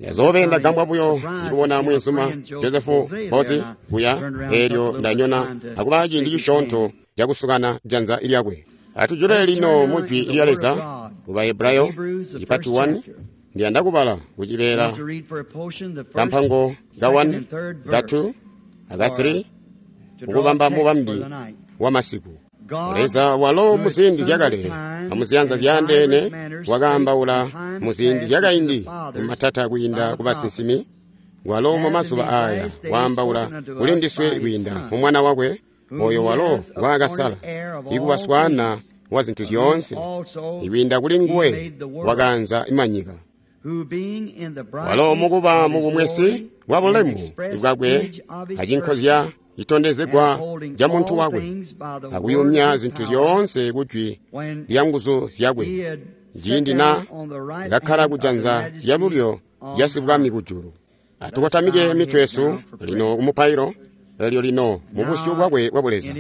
Ndazoobe ndagambwa buyo ikubona mweenzuma Joseph Boze kuya, eelyo ndanyona akuba ciindi cisyoonto cakusukana janza lyakwe. Atujule lino mu Jwi lya Leza ku Bahebrayo cipati 1. Ndiyanda kubala kucibeela kampango ka 1, ka 2, aka 3 kukubamba mubambi wa masiku. Leza walo muziindi zyakale amuziyanza zyaandeene wakaambaula muziindi zyakaindi mumatata kwiinda ku basinsimi, walo mumazuba aaya waambaula kuli ndiswe kwiinda mu Mwana wakwe, oyo walo ngwaakasala ikuba swaana wa zintu zyoonse, ikwiinda kuli nguwe wakaanza manyika. Walo mukuba mubumwesi bwa bulemu bwakwe acinkozya citondezegwa ca muntu wakwe, akuyumya zintu zyoonse kujwi lya nguzu zyakwe, ciindi na kakkala kujanza lyalulyo lya Sibwami kujulu. Atukotamike mitwe yesu lino kumupailo, elyo lino mubusyu bwakwe bwa Buleza,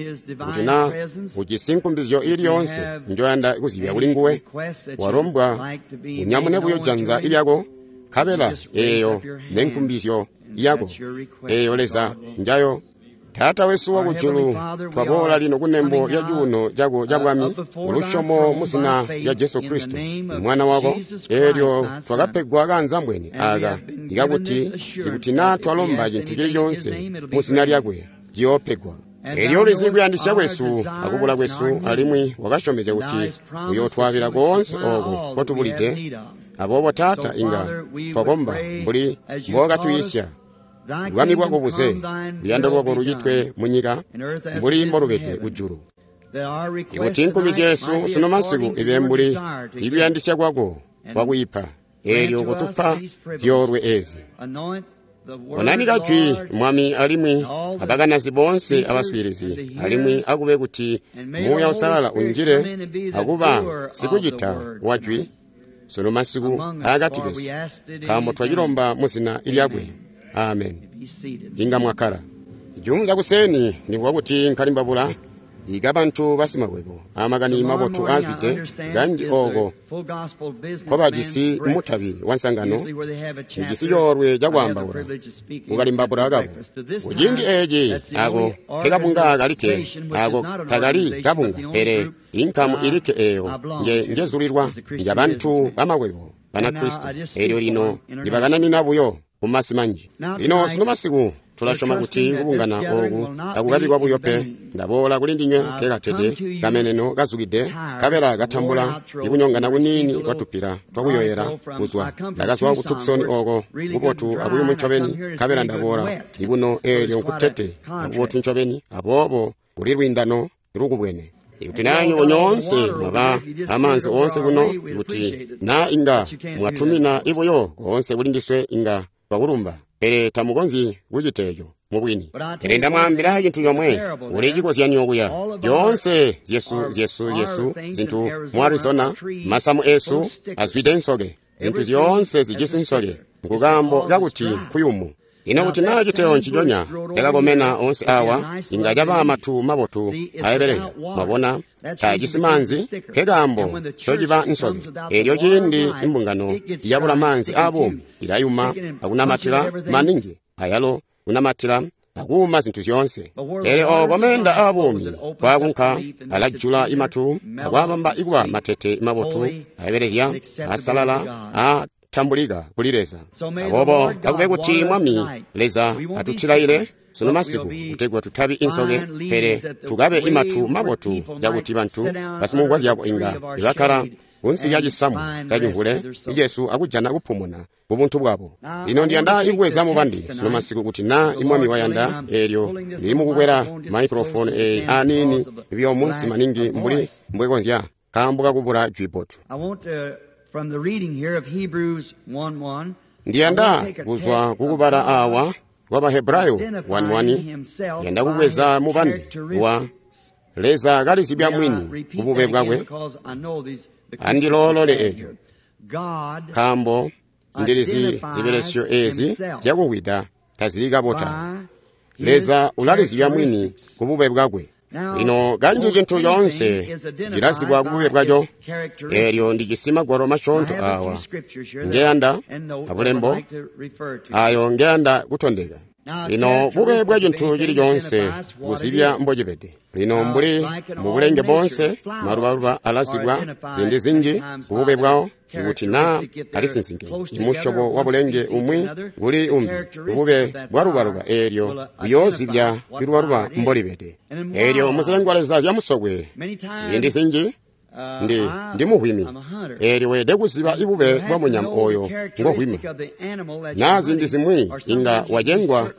kuti na ujisi nkumbizyo ili yoonse njoyanda kuzyibya kuli nguwe, walombwa unyamune buyo janza lyako, nkabela eeyo nenkumbizyo yako, eeyo Leza njayo. Taata wesu wakujulu, twaboola lino kunembo lya cuuno cako ca bwami kulusyomo mu zina lya Jesu Kristo, Mwana wako, eelyo twakapegwa kaanzambwene aaka ikakuti ikuti naa twalomba cintu cili coonse mu zina lyakwe, ciyoopegwa. Eelyo ulizi kuyandisya kwesu akubula kwesu, alimwi wakasyomezya kuti uyootwaabila koonse ooko nkotubulide. Aboobo Taata, inga twakomba mbuli mbookatwiisya. Bwami bwako buze, luyando lwako lucitwe munyika mbuli mbolubede kujulu. Ikuti nkumbizyo yesu sunu masiku ibe mbuli ikuyandisya kwako kwakwiipa, eelyo kutupa zyoolwe ezi. Konanika jwi, Mwami, alimwi abakanazi boonse abaswiilizi, alimwi akube kuti Muuya Uusalala unjile akuba sikucita wa jwi sunu masiku aakati kesu, nkaambo twacilomba mu zina lyakwe. Amen. Inga mwakkala. Juunza kuseni ndikuwa kuti nkalimbabula ika bantu basimakwebo amakani mabotu aazwide kanji ooko nkobajisi mutabi wa nsangano, ijisi coolwe cakwaambaula kukalimbabula kabo. Kuciindi eeci ako nkekabunga kalikke, ako takali kabunga, pele inkamu ilikke eeyo njezulilwa njabantu bamakwebo Banakristo, eelyo lino ndibakananina buyo kumasi manji. Lino sunu masiku tulasyoma kuti kubungana ooku takukabi kwabuyo pe. Ndaboola kuli ndinywe nkekatede kameneno kazukide, nkabela katambula ikunyongana kuniini kwatupila twakuyoyela kuzwa. Ndakazwa ku Tucson ooko kubotu akuyumu ncobeni, nkabela ndaboola ikuno eelyo nkutete akubotu ncobeni, aboobo kuli lwiindano lukubwene. Ikuti naa nywebo nyoonse mwaba amaanzi oonse kuno, ikuti naa inga mwatumina ibuyo koonse kuli ndiswe, inga twakulumba, pele tamukonzyi kucita eco mubwini. Pele ndamwaambila cintu comwe, kuli cikozyanyo kuya. Zyoonse zyesu zyesu zyesu zintu mu Arizona, masamu esu azwide nsoke, zintu zyoonse zijisi nsoke, nkukaambo kakuti nkuyumu. Ino kuti naa citeyo nciconya cakakomena oonse awa, inga caba matu mabotu aebeleya. Mwabona, taajisi maanzi, nkekaambo ncociba nsoke. Eelyo ciindi imbungano yabula maanzi aabuumi, ilayuma akunamatila maningi, ayalo kunamatila akuuma zintu zyoonse. Pele ooko meenda aabuumi kwaakunka, alajula imatu akwaabamba ikuba matete mabotu aebelezya, asalala, a tambulika kuli Leza. Aboobo akube kuti Mwami Leza atutilaile sunu masiku kutegwa tutabi insoke, pele tukabe imatu mabotu cakuti bantu basimungwa zyabo inga ibakkala kunsi lya cisamu cacimvule icesu akujana kupumuna kubuntu bwabo. Lino ndiyanda ikubweza mubandi sunu masiku kuti naa Mwami wayanda, eelyo ndili mukukwela maikrofoni eeyi aniini biyo munsi maningi mbuli mbwekonzya nkaambo kakubula jwi bbotu. Ndiyanda kuzwa kukubala awa kwa Bahebrayo 1:1, ndiyanda kubweza mubandi wa Leza kalizibya mwini kubube bwakwe. Andiloolole eco, nkaambo ndilizi zibelesyo ezi zyakuwida tazili kabota. Leza ulalizibya mwini kubube bwakwe. Lino kanji cintu coonse cilazibwa kubube bwaco. Eelyo ndijisi magwalo masyoonto awa ngeyanda abulembo ayo ngeyanda kutondeka. Lino bube bwa cintu cili coonse buzibya mbocibede. Lino mbuli mubulenge bonse, malubaluba alazibwa ziindi zinji kubube bwawo, ikuti naa alisinsinkene imusyobo wa bulenge umwi kuli umbi, bube bwalubaluba eelyo buyoozibya ilubaluba mbolibede. Eelyo muzilengwa leza zyamusokwe ziindi zinji ndi muhwimi, eelyo weelede kuziba ibube bwa munyama oyo ngohwima, naa ziindi zimwi inga wacengwa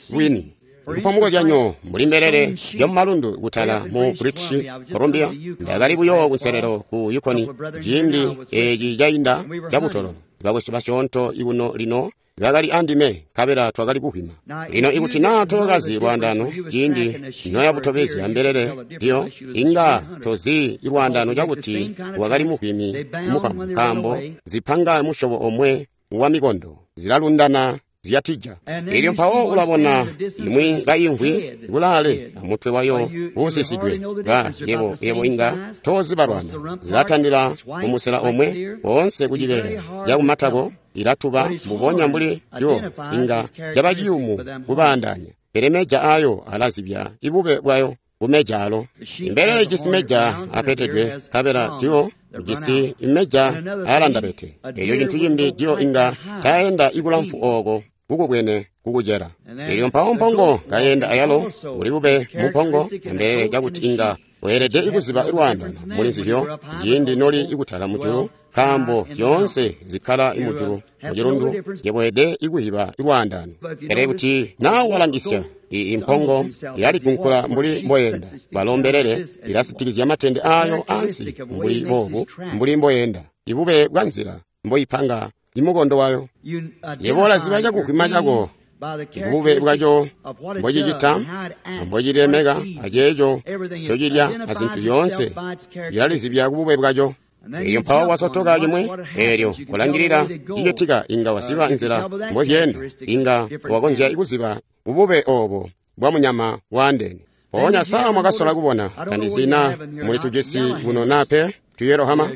bwini. Kupa mukozyanyo, mbuli mbelele zyamumalundu kutala mu British Columbia, ndakali buyo kunselelo ku Yukon ciindi eeci cainda cabutololo. Bakwesu basyoonto ikuno lino bakali andime, nkabela twakali kuhwima. Lino ikuti naa tookazi lwaandaano ciindi noyabutobezya mbelele ndiyo, inga tozi lwaandaano cakuti wakali muhwimi mupampu, nkaambo zipanga musyobo omwe wa mikondo zilalundana zyatija. Elyo mpawo ulabona imwi kayimvwi kulaale amutwe wayo uusisidwe. Ba yebo inga tozibalwana, zilatandila kumusela omwe woonse kucibeela cakumatako ilatuba mbubonya mbuli dyo, inga caba ciyumu kubaandaanya. Pele meja ayo alazibya ibube bwayo kumeja alo. Imbelele ijisi meja apetedwe, nkabela dyo ujisi imeja aalandabete. Elyo cintu cimbi, dyo inga taenda ikulamfu ooko kukubwene kukucela. Elyo mpawo mpongo kayenda ayalo, uli bube mumpongo ambelele cakuti inga weelede ikuziba lwaandano muli nzizyo ciindi noli ikutala mujulu, nkaambo zyoonse zikkala mujulu mucilundu, yebo weelede ikuziba lwaandano. Pele kuti naa walangisya impongo ilaligunkula mbuli mboyenda, balo mbelele ilasitikizya matende ayo ansi mbuli boobu mbuli mboyenda, ibube bwa nzila mboipanga imukondo wayo. Yebo ulaziba cakuhwima cako bube bwaco mbocicita ambocilemeka aceeco ncocilya azintu zyoonse ilalizibya kubube bwaco. Elyo mpawo wasotoka cimwi, eelyo kulangilila cicitika inga waziba nzila mbozyeenda, inga wakonzya kuziba kubube oobo bwa munyama waandeene. Mpoonya saa mwakasola kubona, tandizi naa muli tujisi kuno naa pe tuyerohama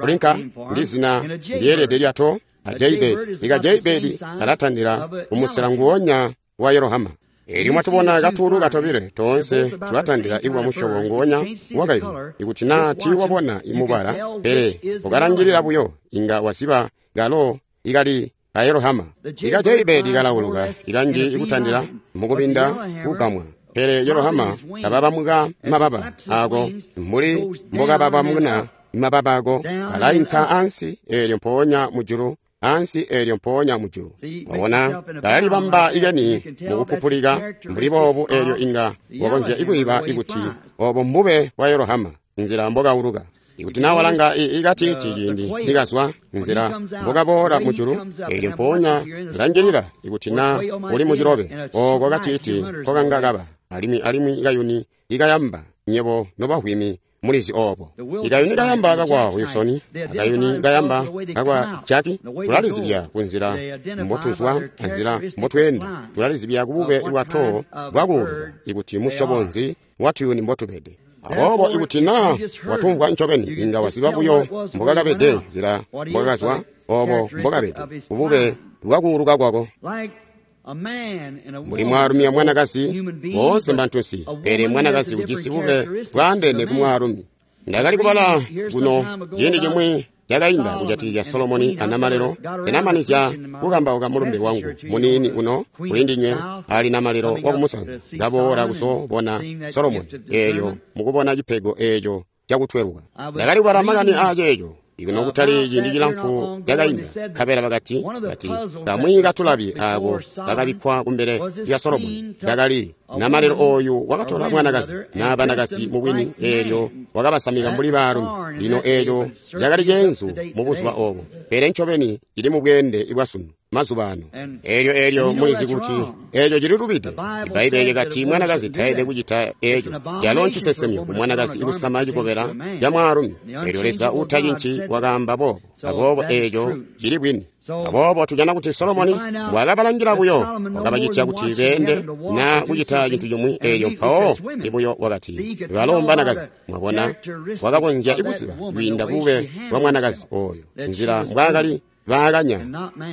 kulinka ndi zina lyeelede lyato a jaybird. Ika jaybird alatandila kumusela nguwonya wa yerohama. Elyo mwatubona katuulu katobile toonse tulatandila ikuba musyobo nguwonya wakayuni. Ikuti naa tiiwabona imubala, pele ukalangilila buyo inga waziba kalo ikali kayerohama. Ika jaybird kalauluka ikanji ikutandila mukubinda kugamwa, pele yerohama kababamuka mababa ako mbuli mbokababamuna mababa ako, kalainka ansi eelyo mpoonya mujulu, ansi eelyo mpoonya mujulu. Wabona kalalibamba ikeni mukupupulika mbuli boobu, eelyo inga wakonzya ikuiba ikuti obo mbube bwa yerohama nzila mbokauluka. Ikuti naa walanga ikatiiti ciindi nikazwa nzila mbokaboola mujulu, eelyo mpoonya langilila ikuti naa uli mucilobe ooko katiiti nkokanga kaba, alimwi ikayuni ikayamba nyebo nobahwimi mulizi oobo. Ikayuni kayamba kakwa Wilson, akayuni kayamba kakwa Jackie, tulalizibya kunzila mbotuzwa anzila mbotweenda, tulalizibya kubube bwato bwakuuluka ikuti musyobo nzi watuyuni mbotubede. Aboobo ikuti naa watumvwa ncobeni, inga waziba buyo mbokakabede nzila mbokakazwa, oobo mbokabede kubube bwakuuluka kwako. Mbuli mwaalumi amwanakazi, boonse mbantunsi, pele mwanakazi ujisi bube bwaandeene kumwaalumi. Ndakali kubala kuno ciindi cimwi cakainda kujatikizya Solomoni anamalelo. Sinamanizya kukambauka mulumbe wangu muniini uno kuli ndinywe ali namalelo wakumusanza kaboola kuzobona Solomoni, eelyo mukubona cipego eeco cakutweluka. Ndakali kubala makani aaceeco ikuno kutali ciindi cilamfu cakainda, nkabela bakati kamwi katulabi aako kakabikkwa kumbele lya Solomoni kakali namalelo ooyu wakatola mwanakazi naa banakazi mubwini, eelyo wakabasamika mbuli baalumi. Lino eeco cakali ceenzu mubuzuba oobo, pele ncobeni cili mubweende bwasunu. mazuba ano. Elyo mulizi kuti eco cililubide. Ibbaibbele kati mwanakazi taelede kucita eco. Calo ncisesemyo ku mwanakazi kusama cikobela ca mwaalumi. Elyo Leza utacinci wakaamba boobo. Aboobo eco cili bwini. Aboobo tujana kuti Solomoni wakabalangila buyo, wakabacitya kuti beende na kucita cintu cimwi. Elyo mpawo ibuyo wakati balo mbanakazi. Mwabona, wakakonzya kuziba kwiinda bube bwa mwanakazi oyo, nzila mbwaakali baakanya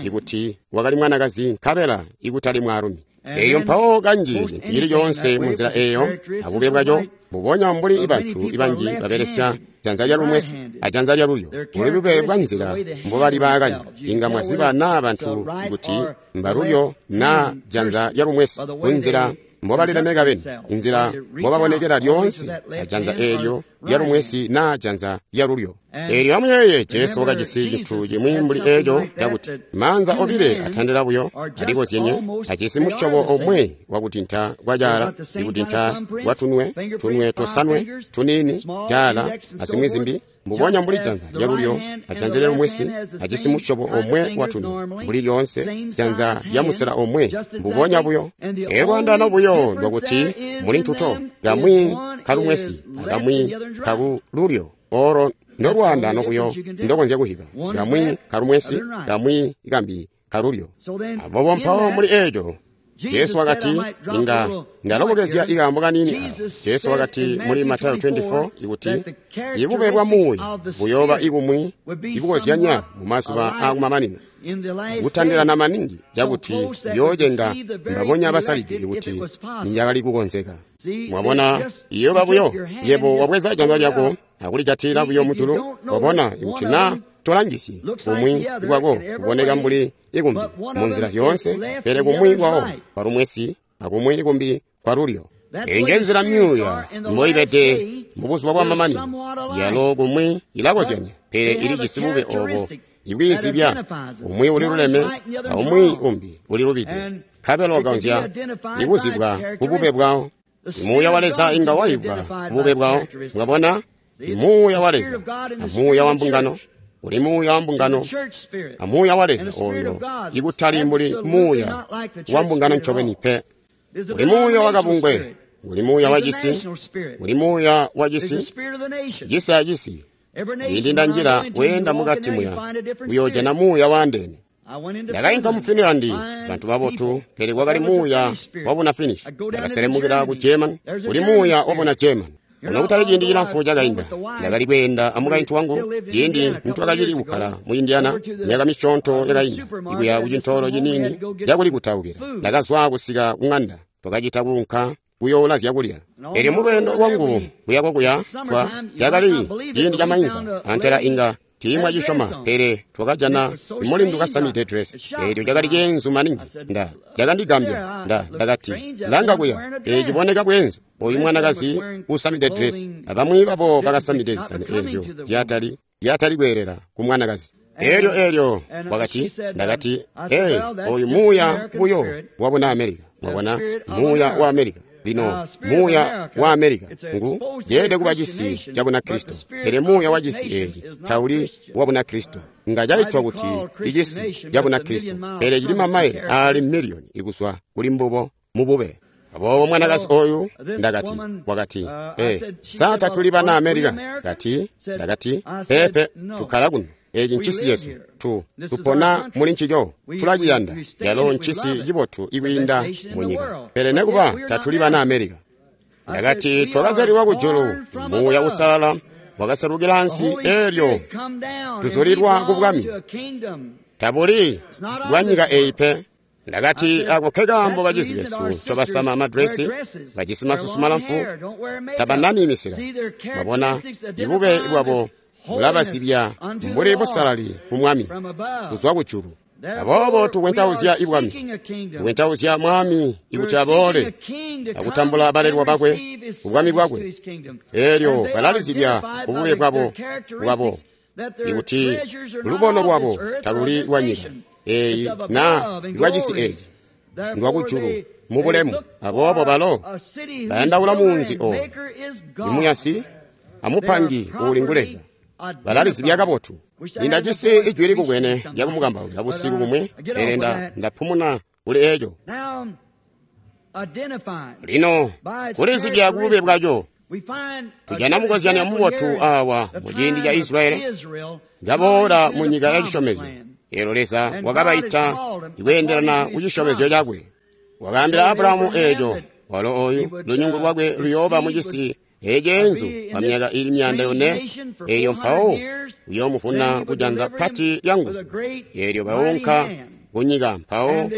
ikuti wakali mwanakazi nkabela ikutali mwaalumi. Eyo mpawo kanji cintu cili coonse munzila eyo abube bwaco, mbubonya mbuli bantu banji babelesya janza lya lumwesi ajanza lya lulyo, buli bube bwa nzila mbobali baakanya. Inga mwaziba naa bantu kuti mbalulyo naa janza lya lumwesi kunzila mbobalilemeka beni, inzila mbobabonekela lyoonse ajanza eelyo lya lumwesi naa janza lya lulyo. Eelyo amuyeeye, Jesu wakajisi cintu cimwi mbuli eeco cakuti maanza obile atandila buyo alikozyenye, ajisi musyobo omwe wakutinta kwa caala, ikutinta kwa tunwe, tunwe tosanwe tuniini, caala azimwi zimbi, mbubonya mbuli janza lya lulyo ajanza lya lumwesi ajisi musyobo omwe watunwe, mbuli lyoonse janza lya musela omwe, mbubonya buyo. Lwaandaano buyo ndwakuti muli ntuto, kamwi kalumwesi akamwi kakululyo. Olo ndolwaandaano buyo ndokonzya kuhiba, kamwi kalumwesi, kamwi kambi kalulyo. Aboobo mpawo muli eeco Jesu wakati, inga ndalobokezya ikaambo kaniini awa. Jesu wakati muli Matayo 24 ikuti ibube bwa muuya buyooba ikumwi ikukozyanya mu mazuba aakumamanino, kutandilana maningi cakuti buyoocenga mbabonya basalidwe ikuti niyakali kukonzeka. Mwabona, iyooba buyo yebo wabweza janza lyako akulijatila buyo mujulu. Wabona, ikuti naa tolangisyi kumwi kwako kuboneka mbuli ikumbi munzila zyoonse, pele kumwi kwawo kwalumwesi akumwi ikumbi kwalulyo. Eyi nje nzila myuuya mboibede mubuzuba bwa mamanino. Yalo kumwi ilakozyanya, pele ilijisi bube obo ibwiizibya. Umwi uliluleme aumwi umbi ulilubide, nkabela ukonzya ikuzibwa kubube bwawo. Muuya wa Leza inga waibwa kubube bwawo. Mwabona, muuya wa Leza amuuya wa mbungano uli muuya wa mbungano amuuya wa Leza oyo ikutali mbuli muuya wa mbungano ncobeni pe. Uli muuya wa kabungwe, uli muuya wa cisi, uli muuya wa cisi, cisi acisi. Ciindi ndanjila weenda mukati muya uyoojana muuya waandeene. Ndakainka mu Finland, bantu babotu, pele kwakali muuya wabuna Finnish. Ndakaselemukila ku German, uli muuya wabuna German. Ono kutali ciindi cilamfu cakainda, ndakali kweenda amukaintu wangu ciindi nitwakacili kukkala mu Indiana myaka misyoonto yakainda, ikuya kucintoolo ciniini cakulikutaukila. Ndakazwa kusika kuŋanda, twakacita kuunka kuyoula zyakulya. Elyo mulweendo lwangu kuya kokuya cakali ciindi ca mainza, antela inga tiimwacisyoma, pele twakajana mulindu kasamide dress. Eelyo cakali ceenzu maningi. Cakandigambya. Ndakati, langa kuya, eeci boneka bweenzu. Oyu mwanakazi usamide dress, abamwi babo bakasamide zisani eezyo zyatali kweelela ku mwanakazi. Elyo wakati, ndakati, ee, oyu muuya buyo wabuna Amerika. Mwabona, muuya wa Amerika. Lino muuya wa Amerika ngu yeelede kuba cisi ca Bunakristo, pele muuya wa cisi eeci tauli wa Bunakristo. Nga caitwa kuti icisi ca Bunakristo, pele cili mamaile aali miliyoni ikuzwa kuli mbubo mubube. Aboobo mwanakazi oyu, ndakati, wakati, ee, sa tatuli bana Amerika? Kati, ndakati, peepe, tukkala kuno. Eeci ncisi cesu, tupona muli ncico, tulaciyanda. Calo ncisi cibotu ikwiinda munyika, pele nekuba tatuli bana Amerika. Ndakati, twakazyalilwa kujulu, muuya usalala wakaselukila ansi, eelyo tuzulilwa ku bwami. Tabuli bwa nyika eyi pe. Ndakati, ako ke kaambo bacizi besu ncobasama amadresi, bajisi masusu malamfu, tabanani misila. Mwabona, ibube bwabo bulabazibya mbuli busalali ku Mwami kuzwa kujulu. Aboobo tukwentauzya ibwami, tukwentauzya Mwami ikuti aboole akutambula balelwa bakwe kubwami bwakwe. Eelyo balalizibya kubube bwabo ikuti lubono lwabo taluli lwa nyika eeyi naa lwacisi eeci, ndwakujulu mubulemu. Aboobo balo bayandaula muunzi ooyo, imuyasi amupangi uuli ngu Leza. Balalizibya kabotu. Nindajisi ijwi likubwene lyakumukambaukila busiku bumwi, pele ndapumuna kuli eco. Lino kulizibya kubube bwaco, tujana mukozyanyo mubotu awa muciindi ca Israeli ngaboola mu nyika ya cisyomezyo. Eelyo Leza wakabaita ikweendelana ku cisyomezyo cakwe. Wakaambila Abrahamu eeco, walo oyu lunyungu lwakwe luyooba mucisi eceenzu kwa myaka ili 400, eelyo mpawo uyoomuvuna kujanza pati lya nguzu. Eelyo baunka kunyika mpawo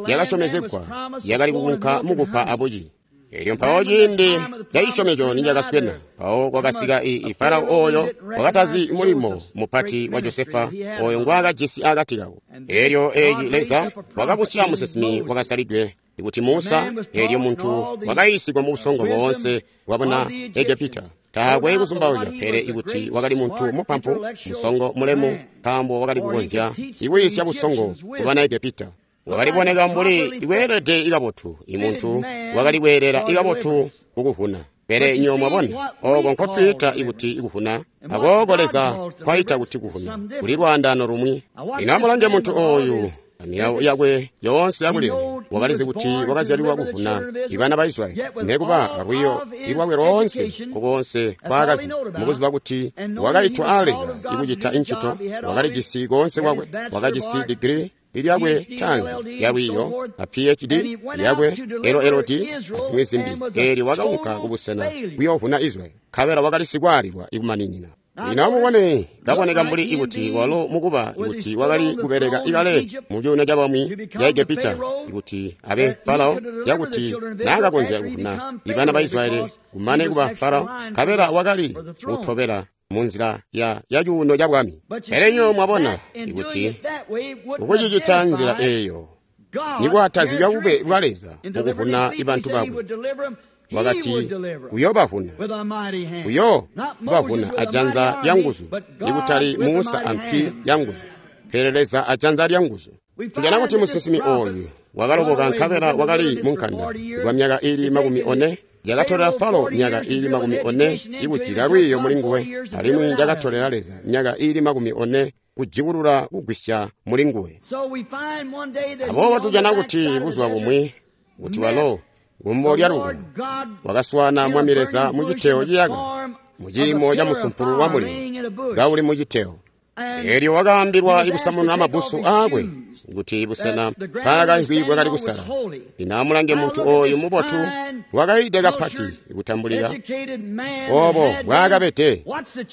yakasyomezegwa yakali kukunka mukupa abuci. Eelyo mpawo ciindi ca cisyomezyo nicakaswena, mpawo kwakasika Farao oyo wakatazi mulimo mupati wa Josefa oyo ngwaakajisi akati kabo. Eelyo eeci Leza wakabusya musinsimi wakasalidwe ikuti Musa, eelyo muntu wakayiisigwa mu busongo boonse bwabuna Egepita. Taakwe kuzumbauzya pele ikuti wakali muntu mupampu, musongo mulemu, nkaambo wakali kukonzya ikuyiisya busongo kubana Egepita. Wakaliboneka mbuli ikweelede ikabotu, imuntu wakali kweelela ikabotu kukuvuna. Pele nyo mwabona, oko nkotwiita ikuti ikuvuna, akooko Leza kwaita kuti kuvuna, kuli lwaandaano lumwi. Lino amulange muntu oyu amilawo yakwe yoonse yakulila, wakalizi kuti wakazyalilwa kuvuna ibana ba Israyeli, nekuba alwiyo lwakwe loonse kokonse kwaakazi, mukuziba kuti wakaitwa a Leza ikucita incito, wakalijisi koonse kwakwe, wakajisi digiri lyakwe tanzi yalwiyo a PhD yakwe LLD azimwi zimbi. Eelyo wakaunka kubusena kuyoovuna Israyeli, nkabela wakali sikwaalilwa ikumaninina. Lino amubone, kaboneka mbuli ikuti walo mukuba ikuti wakali kubeleka ikale mu cuuno cabamwi ca Egepita ikuti abe Farao, cakuti naakakonzya kuvuna ibana ba Israyeli kumane kuba Farao, nkabela wakali kutobela munzila ya cuuno ca bwami. Pele nyo mwabona ikuti ukucicita nzila eeyo nikwatazibya bube bwa Leza mukuvuna ibantu bakwe. Wakati uyoobavuna, uyoobavuna ajanza lya nguzu, ikutali Musa ampi ya nguzu, pele Leza ajanza lya nguzu. Tujana kuti musinsimi ooyu wakaloboka nkabela wakali munkanda kwa myaka ili 40. Yakatolela Falo myaka ili 40 ikujika lwiiyo muli nguwe, alimwi yakatolela Leza myaka ili 40 kujikulula kugwisya muli nguwe. Aboobo tujana kuti buzuba bumwi kuti walo kumbo lya lukula wakaswaana Mwami Leza mucitewo ciyaka, muciimo ca musumpulu wa mulilo kauli mucitewo. Eelyo wakaambilwa ikusamununa mabbusu aakwe kuti busena mpaakaimvwi bwakali kusala. Lino amulange muntu ooyu mubotu wakayiide kapati ikutambulika oobo bwaakabede.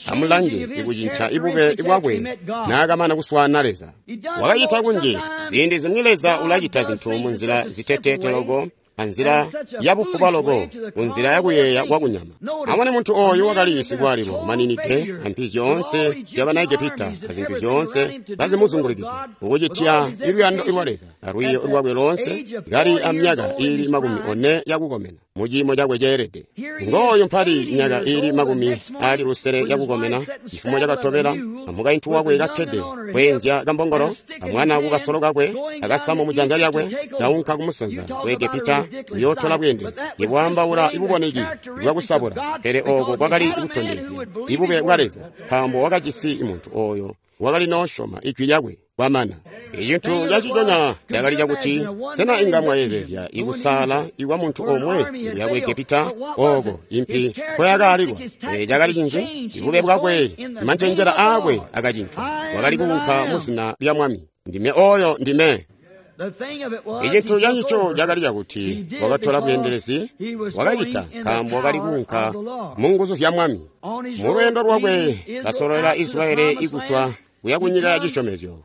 Amulange ikucinca ibube bwakwe naakamana kuswaana Leza. Wakacita kunji. Ziindi zimwi Leza ulacita zintu munzila ziteteete loko, anzila yabufuba loko, kunzila yakuyeeya kwakunyama. Amone muntu ooyu wakali sikwaalilwa maninide ampi zyoonse zyabana Egepita azintu zyoonse kazimuzungulikide, ukucitya iluyando lwa Leza alwiiyo lwakwe loonse, kali amyaka ili 40 yakukomena muciimo cakwe ceelede. Ngooyu mpali myaka ili 60 yakukomena, cifumo cakatobela, amukaintu wakwe kakkede kweenzya kambongolo, amwana kukasolo kakwe, akasamu mujanza lyakwe, kaunka kumusanza ku Egepita kuyootola bweendelezi. Ikwaambaula ibuboneki bwakusabula, pele ooko kwakali kutondezya ibube bwa Leza, nkaambo wakajisi muntu ooyo wakali noosyoma ijwi lyakwe kwamana. Icintu caciconya cakali cakuti, sena inga mwayezeezya ikusaala ikwa muntu omwe ikuya ku Egepita ooko impi nkoyakaalilwa? Pele cakali cinji, ibube bwakwe, mancenjela aakwe akacincwa. Wakali kuunka muzina lya Mwami. Ndime oyo ndime. Icintu cancico cakali cakuti wakatola bweendelezi, wakacita nkaambo wakali kuunka mu nguzu zya Mwami. Mulweendo lwakwe kasololela Israyeli ikuswa kuya kunyika ya cisyomezyo,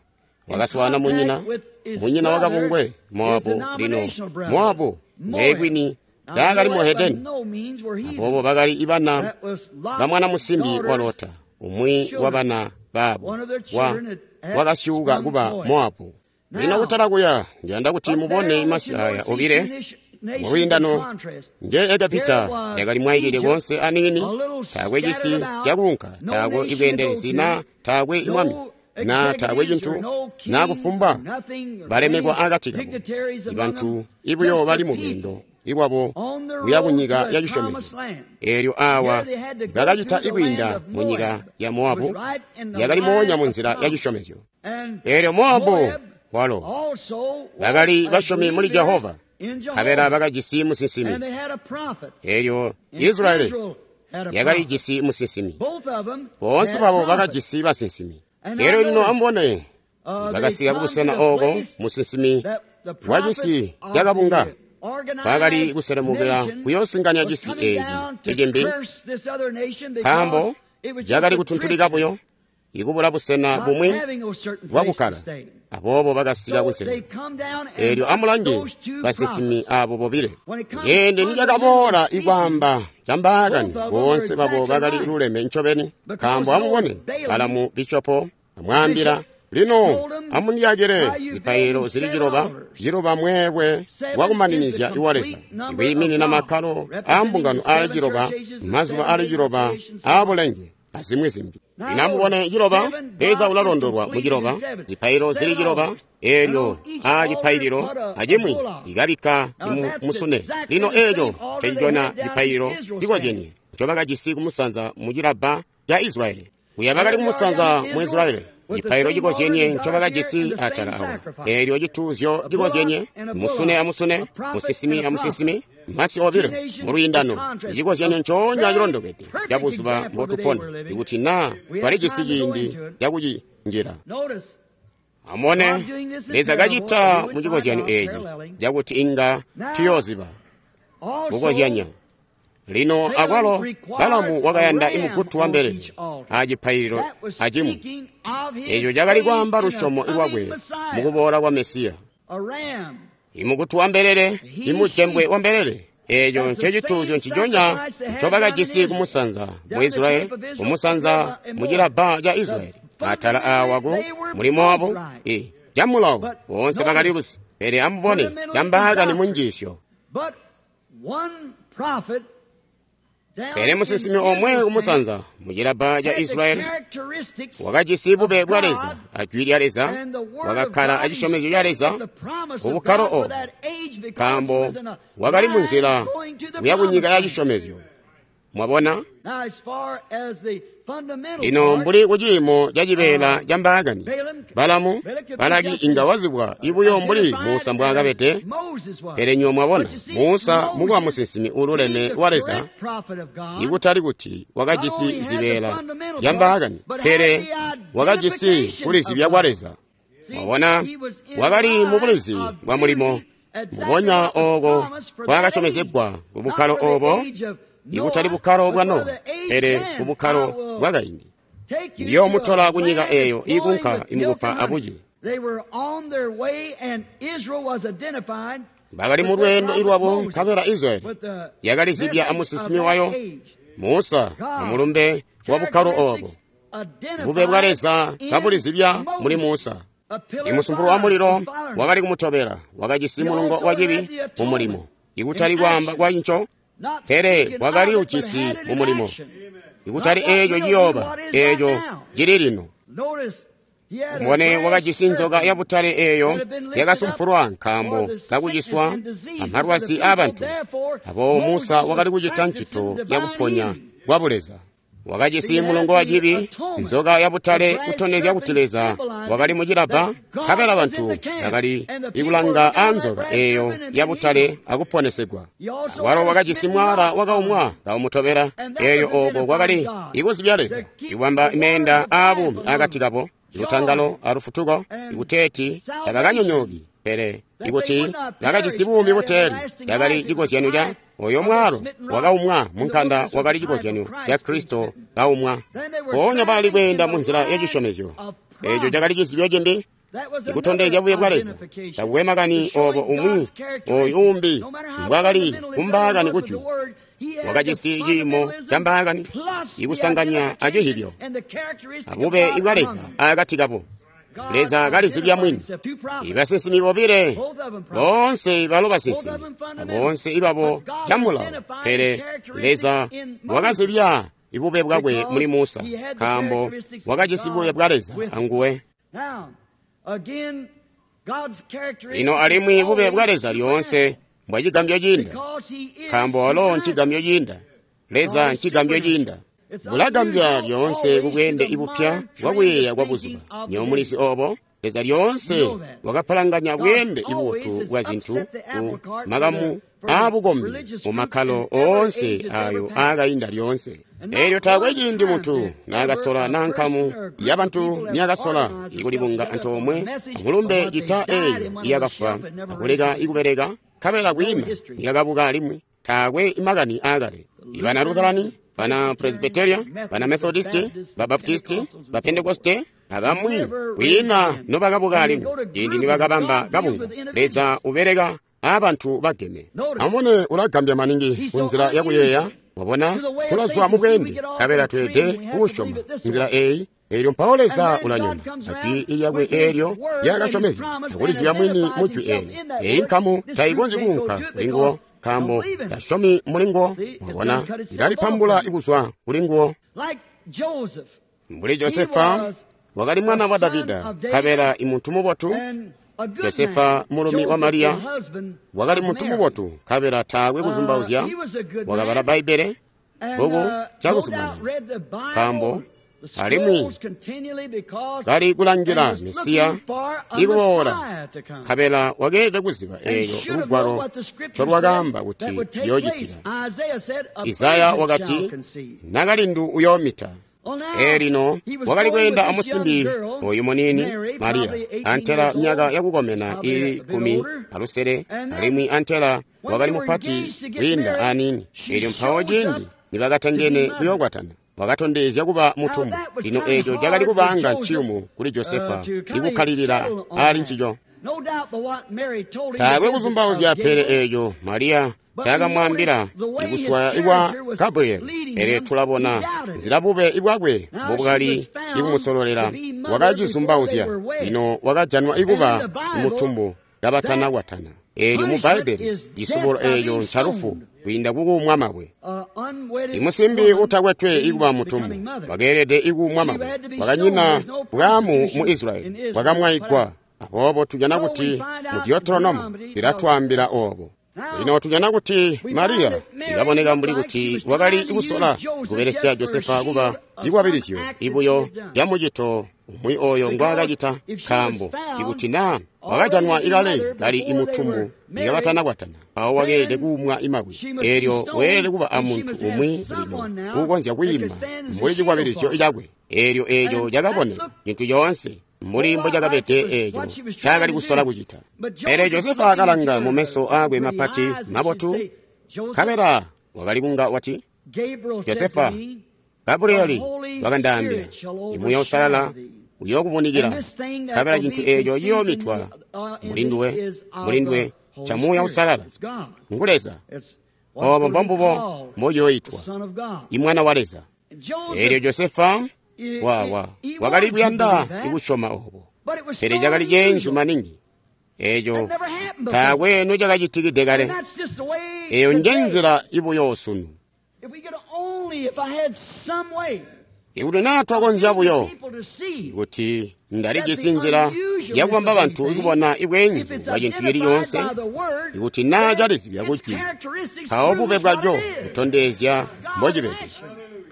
wakaswaana munyina wakabungwe Moabu. Lino Moabu neekwini taakali muhedeni, aboobo bakali ibana ba mwana musimbi wa Lota, umwi wa bana babo wakasyuuka kuba Moabu. Lino kutala kuya, ndiyanda kuti mubone masi aya obile mulwiindano. Nje Egepita yakali mwayikile konse aniini, taakwe cisi cakuunka, taakwe ibweendelezi na taakwe imwami na taakwe cintu na kufumba balemekwa akati kabo. Ibantu ibuyo bali mu lweendo lwabo kuya kunyika ya cisyomezyo. Eelyo awa bakacita ikwiinda munyika ya Moabu, yakali moonya munzila ya cisyomezyo. Eelyo Moabu walo bakali basyomi muli Jehova, nkabela bakajisi musinsimi. Eelyo Israyeli yakalijisi musinsimi. Boonse babo bakajisi basinsimi. Eelyo lino amubone, bakasika kubusena ooko musinsimi wacisi cakabunga bakali kuselemukila kuyoosinganya cisi eeci icimbi, nkaambo cakali kutuntulika buyo ikubula busena bumwi bwakukkala. Aboobo bakasika kunselelo. Eelyo amulange basinsimi abo bobile. Ciindi nicakaboola ikwaamba cambaakani, boonse babo bakali luleme ncobeni. Nkaambo amubone, Balamu bishopo amwaambila, lino amundiyakile zipaililo zili ciloba, mweelwe wakumaninizya iwa Leza, ikwiiminina makkalo aambungano aali ciloba, mazuba aali ciloba aabulenge, azimwi zimbi. Lino amubone ciloba, Leza ulalondolwa mu ciloba, zipaililo zili ciloba, eelyo aacipaililo acimwi ikabikka musune. Lino eeco ncecicona cipaililo cikozyenye ncobakajisi kumusanza mu cilabba ca Israyeli. Kuya bakali kumusanza mu Israyeli, cipaililo cikozyenye ncobakajisi atala awa. Eelyo cituuzyo cikozyenye, musune amusune, musinsimi amusinsimi, masi obilo mulwiindano, icikozyanyo ncoonya cilondokede ca buzuba mbotupona, ikuti naa twalijisi ciindi cakucinjila. Amubone, Leza kacita mu cikozyanyo eeci cakuti inga tuyooziba kukozyanya. Lino akwalo Balamu wakayanda imugutu wa mbelele acipaililo acimwi. Eeco cakali kwaamba lusyomo lwakwe mukuboola kwa Mesiya. Imugutu wa mbelele, imujembwe wa mbelele, eeco ncecituuzyo nciconya ncobakajisi kumusanza mu Israyeli, kumusanza mu cilabba ca Israyeli. Atala aawa ku mulimo wabo camulawo boonse bakali luzi. Pele amubone cambaakani munjiisyo. Pele musinsimi omwe kumusanza mu cilabba ca Israyeli wakajisi bube bwa Leza ajwi lya Leza, wakakkala acisyomezyo ca Leza kubukkalo obo, nkaambo wakali munzila kuya kunyika ya cisyomezyo. Mwabona? Lino mbuli kuciimo ca cibeela ca mbaakani, Balamu, Balaki inga wazibwa ibuyo mbuli Musa mbwaakabede. Pele nywebo mwabona, Musa mukuba musinsimi uululeme wa Leza, ikutali kuti wakajisi zibeela zya mbaakani, pele wakajisi kulizibya kwa Leza. Mwabona, wakali mubulizi bwa mulimo mbubonya ooko kwakasyomezegwa kubukkalo obo, ikutali bukkalo bwa Nowa, pele kubukkalo bwakaindi. Ndiyoomutola kunyika eeyo iikunka imukupa abuci. Bakali mu lweendo lwabo, nkabela Israyeli yakalizibya amusinsimi wayo Musa amulumbe wa bukkalo obo. Bube bwa Leza kabulizibya muli Musa. Imusumpulu wa mulilo wakali kumutobela, wakajisi mulungo wa cibi mu mulimo, ikutali kwaamba kwa nco, pele wakali ujisi mu mulimo, ikutali eeco ciyooba, eeco cili lino. Mubone, wakajisi nzoka yabutale eeyo yakasumpulwa nkaambo kakuciswa amalwazi aabantu. Aboobo Musa wakali kucita ncito yakuponya kwa buleza. Wakajisi mulongo wa cibi, nzoka yabutale, kutondezya kuti Leza wakali mucilabba, nkabela bantu bakali ikulanga aanzoka eeyo yabutale akuponesegwa. Walo wakajisi mwaala wakaumwa kaumutobela, eelyo ooko kwakali ikuzibya Leza, ikubamba meenda aabuumi akati kabo, lutangalo alufutuko, ikuteeti tabakanyonyooki, pele ikuti bakajisi buumi buteeli. Cakali cikozyanyo ca oyo mwalo wakaumwa munkanda, wakali cikozyanyo ca Kristo kaumwa. Mpoonya bakali kweenda munzila ya cisyomezyo. Eeco cakali cizibyo cimbi, ikutondezya buye bwa Leza. Takukwe makani obo umwi oyu umbi mbwakali kumbaakani kujwi, wakajisi ciimo ca mbaakani ikusanganya acihibyo abube bwa Leza akati kabo. Leza kalizibya mwini. Ibasinsimi bobile boonse balo basinsimi, boonse ibabo camulawo, pele Leza wakazibya ibube bwakwe muli Musa, nkaambo wakajisi bube bwa Leza anguwe. Lino alimwi bube bwa Leza lyoonse mbwa cigambyo ciinda, nkaambo walo ncigambyo ciinda. Leza ncigambyo ciinda. Bulagambya lyoonse kubweende ibupya bwakuyeeya kwa buzuba. Nywebo mulizi obo? Leza lyoonse wakapalanganya bweende ibubotu bwa zintu ku makamu aabukombi mu makkalo oonse ayo aakainda lyoonse. Eelyo taakwe ciindi muntu naakasola naa nkamu yabantu niyakasola ikulibunga antoomwe amulumbe cita eeyo iyakafwa akuleka ikubeleka, nkabela kwiina niyakabuka alimwi. Taakwe makani aakale. Ibana Lutherani, bana Presbyteria, bana Methodisti, ba Baptisti, ba Pentekoste, abamwi kwiina nobakabuka alimwi ciindi nibakabamba kabunga. Leza ubeleka aabantu bageme. Amubone, ulagambya maningi kunzila yakuyeeya. Wabona, tulazwa mubweende, nkabela tweede kuusyoma nzila eeyi. Eelyo mpawo Leza ulanyona ajwi lyakwe eelyo lyakasyomezya akulizibya mwini mu jwi eelyo. Eeyi nkamu tayikonzyi kuunka kulinguwo, nkaambo tasyomi mulinguwo. Mwabona, ilalipambula kuzwa kulinguwo. Mbuli Josefa wakali mwana wa Davida, nkabela imuntu mubotu. Josefa mulumi wa Mariya wakali muntu mubotu, nkabela taakwe kuzumbauzya wakabala Bbaibbele bbuku cakuzumanana, nkaambo alimwi kali kulangila Mesiya ikuboola, nkabela wakeelede kuziba eelyo lugwalo ncolwakaamba kuti yoocitika. Isaya wakati, nakalindu uyoomita. Eelino wakali kweenda amusimbi oyu muniini Mariya, antela myaka yakukomena ili 16, alimwi antela wakali mupati kwiinda aniini. Eelyo mpawo ciindi nibakatangene kuyookwatana, wakatondezya kuba mutumbu. Lino eeco cakali kubaanga nciyumu kuli Josefa ikukkalilila ali ncico. Taakwe kuzumbauzya pele eeco Mariya caakamwaambila ikuswaya ikwa Gabrieli. Pele tulabona nzila bube bwakwe mbobwakali ikumusololela. Wakacizumbauzya. Lino wakajanwa ikuba mutumbu kabatanakwatana. Eelyo mu Bbaibbele cisubulo eeco ncalufu kwiinda kukuumwa mabwe. Imusimbi utakwetwe ikuba mutumbu wakeelede ikuumwa mabwe. Kwakanyina bwaamu mu Israyeli, bwakamwaigwa. Aboobo tujana kuti mu Deuteronomo lilatwaambila oobo. Lino tujana kuti Mariya ilaboneka mbuli kuti wakali kusola kubelesya Josefa kuba cikwabilizyo ibuyo camucito umwi oyo ngwaakacita, nkaambo ikuti naa wakajanwa ikale kali imutumbu ikabatanakwatana, mpawo wakeelede kuumwa imabwe. Eelyo weelede kuba amuntu umwi lino uukonzya kwiima mbuli cikwabilizyo cakwe. Eelyo eeco cakaboneka cintu coonse mbuli mbocakabede eeco ncaakali kusola kucita. Pele Josefa akalanga mumeso aakwe mapati mabotu, nkabela wakali kunga wati, Josefa, Gabrieli wakandaambila, Imuuya Uusalala uyookuvunikila, nkabela cintu eeco ciyoomitwa mulinduwe ca Muuya Uusalala. Ngu Leza. Oobo mbombubo mbociyooitwa, Imwana wa Leza. Eelyo Josefa wakali kuyanda ikusyoma oobo, pele cakali ceenzu maningi. Eeco taakwe nocakacitikide kale. Eeyo njenzila ibuyo sunu. Ikuti naa twakonzya buyo kuti ndalijisi nzila yakubamba bantu ikubona ibweenzu bwa cintu cili coonse, ikuti naa calizibya kujwi, mpawo bube bwaco butondezya mbocibede.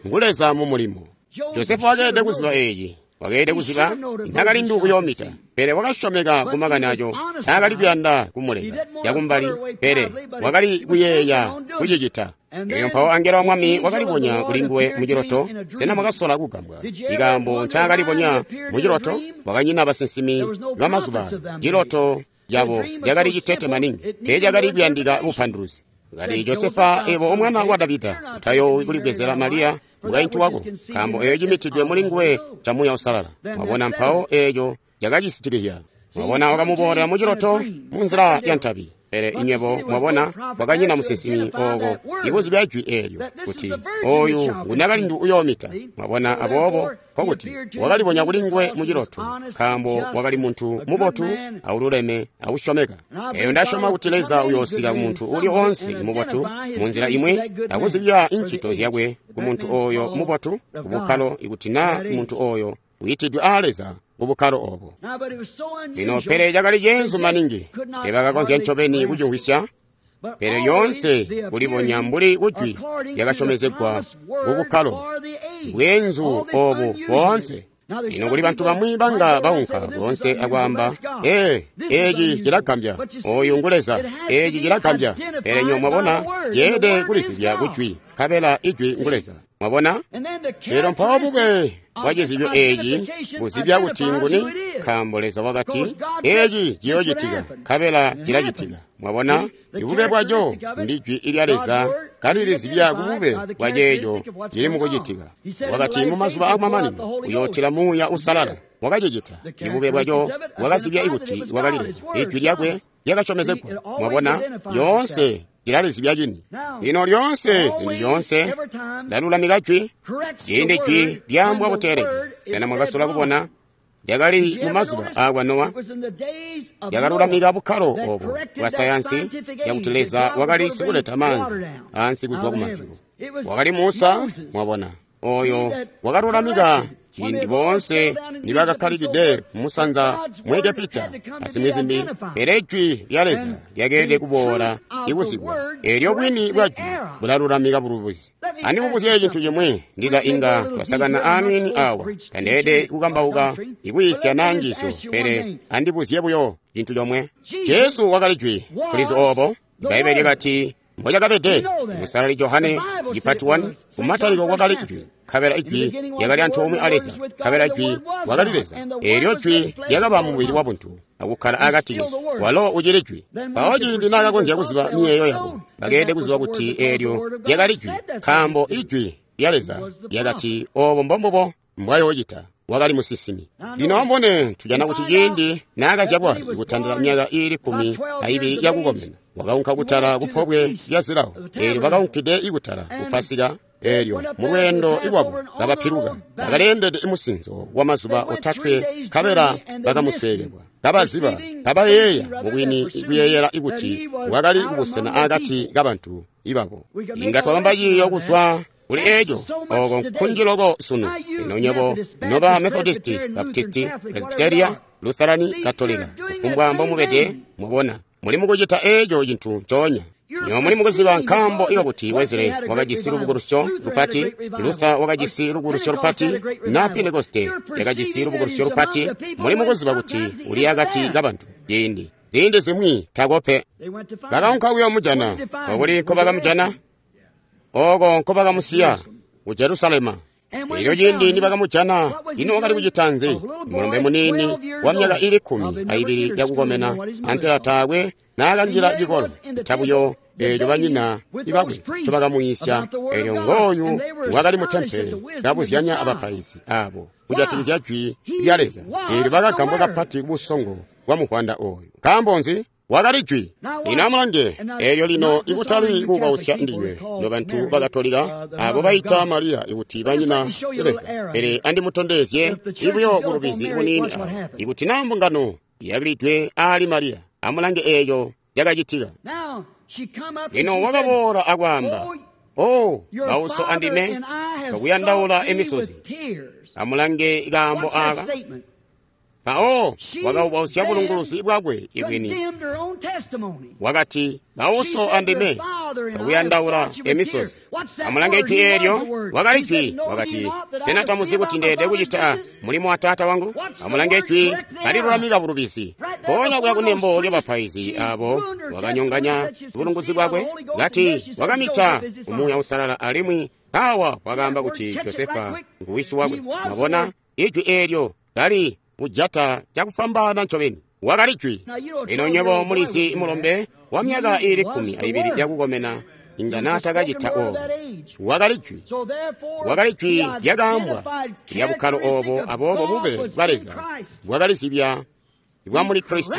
Ngu Leza mu mulimo. Josefa wakeelede kuziba eeci. Wakeelede kuziba nakalindu uyoomita, pele wakasyomeka kumakani aco. Taakali kuyanda kumuleka cakumbali, pele wakali kuyeeya kucicita. Eelyo mpawo angelo wa Mwami wakalibonya kulinguwe muciloto. Sena mwakasola kugambwa ikaambo ncaakalibonya muciloto? Wakanyina basinsimi bamazuba. Ciloto cabo cakali citete maningi, teecakali kuyandika bupanduluzi. Kati, Josefa, ebo omwana wa Davida, utayoowi kulibwezela Mariya mukaintu wako, nkaambo eeyo cimitidwe mulinguwe ca Muuya Uusalala. Mwabona, mpawo eeco cakacisitikizya. Mwabona, wakamuboolela muciloto munzila ya ntabi. Pele inywebo mwabona, kwakanyina musinsimi ooko ikuzibya jwi eelyo kuti oyu ngunakalindu uyoomita. Mwabona, aboobo nkokuti wakalibonya kulinguwe muciloto, nkaambo wakali muntu mubotu aululeme ausyomeka. Eeyo ndasyoma kuti Leza uyoosika kumuntu uli oonse mubotu munzila imwi akuzibya incito zyakwe kumuntu ooyo mubotu kubukkalo, ikuti naa muntu ooyo uitidwe aa Leza kubukkalo oobo. Lino pele cakali ceenzu maningi, teebakakonzya ncobeni kucimvwisya. Pele lyoonse kulibonya mbuli kujwi lyakasyomezegwa ku bukkalo bweenzu obu boonse. Lino kuli bantu bamwi banga baunka boonse akwaamba, ee, eci cilagambya, oyu ngu Leza, eci cilagambya. Pele nyo mwabona, ceelede kulizibya kujwi, nkabela ijwi ngu Leza. Mwabona? Lino mpawo bube bwa cizibyo eci buzibya kuti nguni, nkaambo Leza wakati, eci ciyoocitika, nkabela cilacitika. Mwabona? Ibube bwaco ndi jwi lya Leza kalilizibya kubube bwa ceeco cili mukucitika. Wakati mu mazuba akumamanino uyootila Muuya Uusalala. Wakacicita. Ibube bwaco bwakazibya kuti wakali Leza. Ijwi lyakwe lyakasyomezegwa. Mwabona? Lyoonse cilalizibya cini. Lino lyoonse, zintu zyoonse, lalulamika jwi. Ciindi jwi lyaambwa buteelede. Sena mwakasola kubona? Lyakali mu mazuba aakwa Nowa, lyakalulamika bukkalo obo bwa sayansi yakuti Leza wakali sikuleta maanzi ansi kuzwa kumajulu. Wakali Musa, mwabona, oyo wakalulamika ciindi boonse nibakakkalikide musanza mu Egepita azimwi zimbi. Pele jwi lya Leza lyakeelede kuboola ikuzibwa. Eelyo bwini bwa jwi bulalulamika bulubuzi. Andimubuzye cintu cimwi, ndiza inga twasakana aaniini awa. Tandeelede kukambauka ikwiisya naa njiisyo, pele andibuzye buyo cintu comwe. Jesu wakali jwi, tulizi oobo. Ibbaibbele lyakati mbocakabede. Musalali Johane cipati 1, kumatalikilo kwakali jwi, nkabela ijwi lyakali antoomwe a Leza, nkabela jwi wakali Leza. Eelyo jwi lyakaba mubili wabuntu akukkala akati kesu, walo ucili jwi. Mpawo ciindi naakakonzya kuziba miyeeyo yabo, bakeelede kuziba kuti eelyo lyakali jwi, nkaambo ijwi lya Leza lyakati oobo mbombubo mbwayoocita. Wakali musinsimi. Lino ambone tujana kuti ciindi naakazyalwa ikutandila myaka iili 12 yakukomena, wakaunka kutala kupobwe lya zilawo. Eelyo bakaunkide ikutala ku Pasika. Eelyo mulweendo lwabo kabapiluka, bakaleendede musinzo wa mazuba 3, nkabela bakamusweekelwa. Kabaziba, kabayeeya mubwini kuyeeyela ikuti wakali kubusena akati kabantu ibabo. Inga twabamba ciiyo kuzwa kuli eco, oko nkunji loko sunu. Ino nywebo noba Methodisti, Baptisti, Presbyteria, Lutherani, Katolika, kufumbwa mbomubede, mwabona, muli mukucita eco cintu ncoonya. Nyo muli mukuziba nkaambo ikakuti Wesley wakajisi lubukulusyo lupati, Luther wakajisi lubukulusyo lupati, na Pentekoste yakajisi lubukulusyo lupati. Muli mukuziba kuti uli akati kabantu ciindi ziindi zimwi takope. Bakaunka kuyoomujana. Kokuli nkobakamujana? Oko nkobakamusiya, ku Jerusalema. Elyo ciindi nibakamujana, ino wakali kucita nzi? Mulombe muniini wa myaka ili 12 yakukomena, antela taakwe naakanjila cikolo, tabuyo eeco banyina ibakwe ncobakamuyisya. Eelyo ngooyu wakali mu tempele kabuzyanya abapaizi aabo kujatikizya jwi lya Leza. Eelyo bakagambwa kapati kubusongo bwa muvwanda ooyu. Nkaambo nzi? Wakali jwi. Lino amulange, eelyo lino ikutali kuubausya ndinywe nobantu bakatolika abo baita Mariya ikuti banyina Leza, pele andimutondezye ibuyo bulubizi buniini awa. Ikuti naa mbungano yakilidwe aali Mariya, amulange eeco cakacitika. Lino wakaboola akwaamba, o bauso andime twakuyandaula emisozi. Amulange kaambo aaka. Mpawo wakaubausya bulunguluzi bwakwe ibwini. Wakati, bauso andime twakuyandaula emisozi. Amulange jwi eelyo. Wakali jwi. Wakati, sena tamuzi kuti ndeede kucita mulimo wa taata wangu? Amulange jwi kalilulamika bulubizi. Mpoonya kuya kunembo lyabapaizi abo wakanyonganya bulunguzi bwakwe. Kati wakamita Umuuya Uusalala alimwi mpawa wakaamba kuti Josefa nguwisi wakwe. Mwabona, ijwi eelyo kali kujata cakufwambaana ncobeni. Wakali jwi. Lino nywebo mulizi mulombe wa myaka iili 12 yakukomena inga naatakacita oobo. Wakali jwi. Wakali jwi lyakaambwa lya bukkalo oobo, aboobo bube bwa Leza bwakalizibya bwa muli Kristo.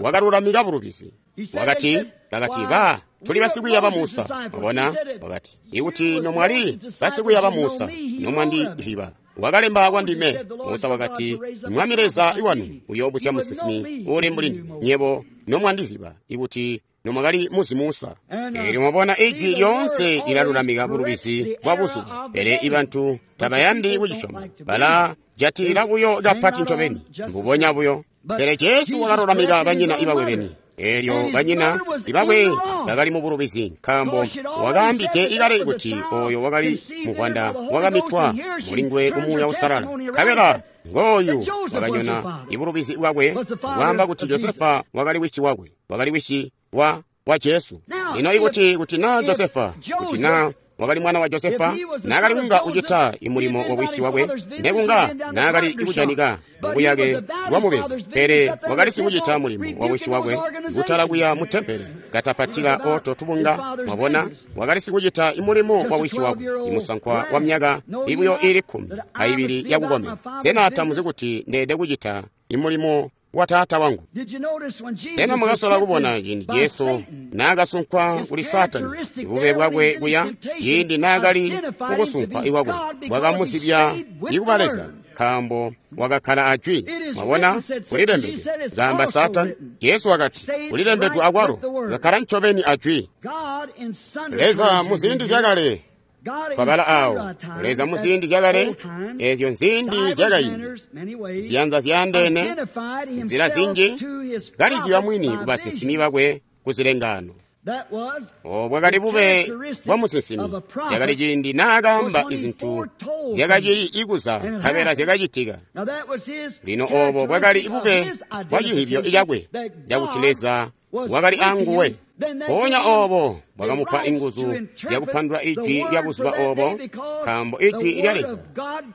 Wakalulamika bulubizi. Wakati, bakati, ba tuli basikwiiya ba Musa. Mwabona? Wakati, ikuti nomwali basikwiiya ba Musa, nomwandiziba. Wakalemba kwandime. Musa wakati, Mwami Leza iwanu uyoobusya musinsimi uuli mbuli ndime, nyebo nomwandiziba, ikuti nomwakali muzi Musa. Eelyo mwabona ijwi lyoonse lilalulamika bulubizi bwa buzuba, pele ibantu tabayandi kucisyoma. Balajatilila buyo kapati ncobeni, mbubonya buyo. Pele Jesu wakalulamika banyina ibakwe beni. Eelyo banyina ibakwe bakali mu bulubizi, nkaambo wakaambide ikale kuti oyo wakali muvwanda wakamitwa mulinguwe ku Muuya Uusalala. Nkabela ngooyu wakanyona ibulubizi bwakwe, kwaamba kuti Josefa wakali wisi wakwe, wakali wisi wa Jesu. Lino ikuti kuti naa Josefa, kuti naa wakali mwana wa Josefa, naakali kunga kucita imulimo wa wisi wakwe, nekunga naakali kujanika mubuyake bwa mubezi, pele wakali sikucita mulimo wa wisi wakwe kutala kuya mu tempele katapatila oto tubunga. Mwabona, wakali sikucita imulimo wa wisi wakwe, imusankwa wa myaka ibuyo ili 12 yakukomena. Sena tamuzi kuti ndeede kucita imulimo wa taata wangu? Sena mwakasola kubona ciindi Jesu naakasunkwa kuli Saatani, bube bwakwe kuya ciindi naakali kukusunkwa ikwakwe bwakamuzibya ikuba Leza, nkaambo wakakkala ajwi. Mwabona, kulilembedwe, kaamba Saatani. Jesu wakati, kulilembedwe akwalo, kakkala ncobeni ajwi. Leza muziindi zyakale, twabala awo, Leza muziindi zyakale, ezyo nziindi zyakaindi, ziyanza zyaandeene, nzila zinji, kalizibya mwini ku basinsimi bakwe ku zilengano. Obo bwakali bube bwa musinsimi. Yakali ciindi naakaamba izintu zyakacili ikuza nkabela zyakacitika. Lino obo bwakali bube bwa cihibyo cakwe cakuti Leza wakali anguwe. Mpoonya obo bwakamupa inguzu zyakupandula ijwi lya buzuba obo, nkaambo ijwi lya Leza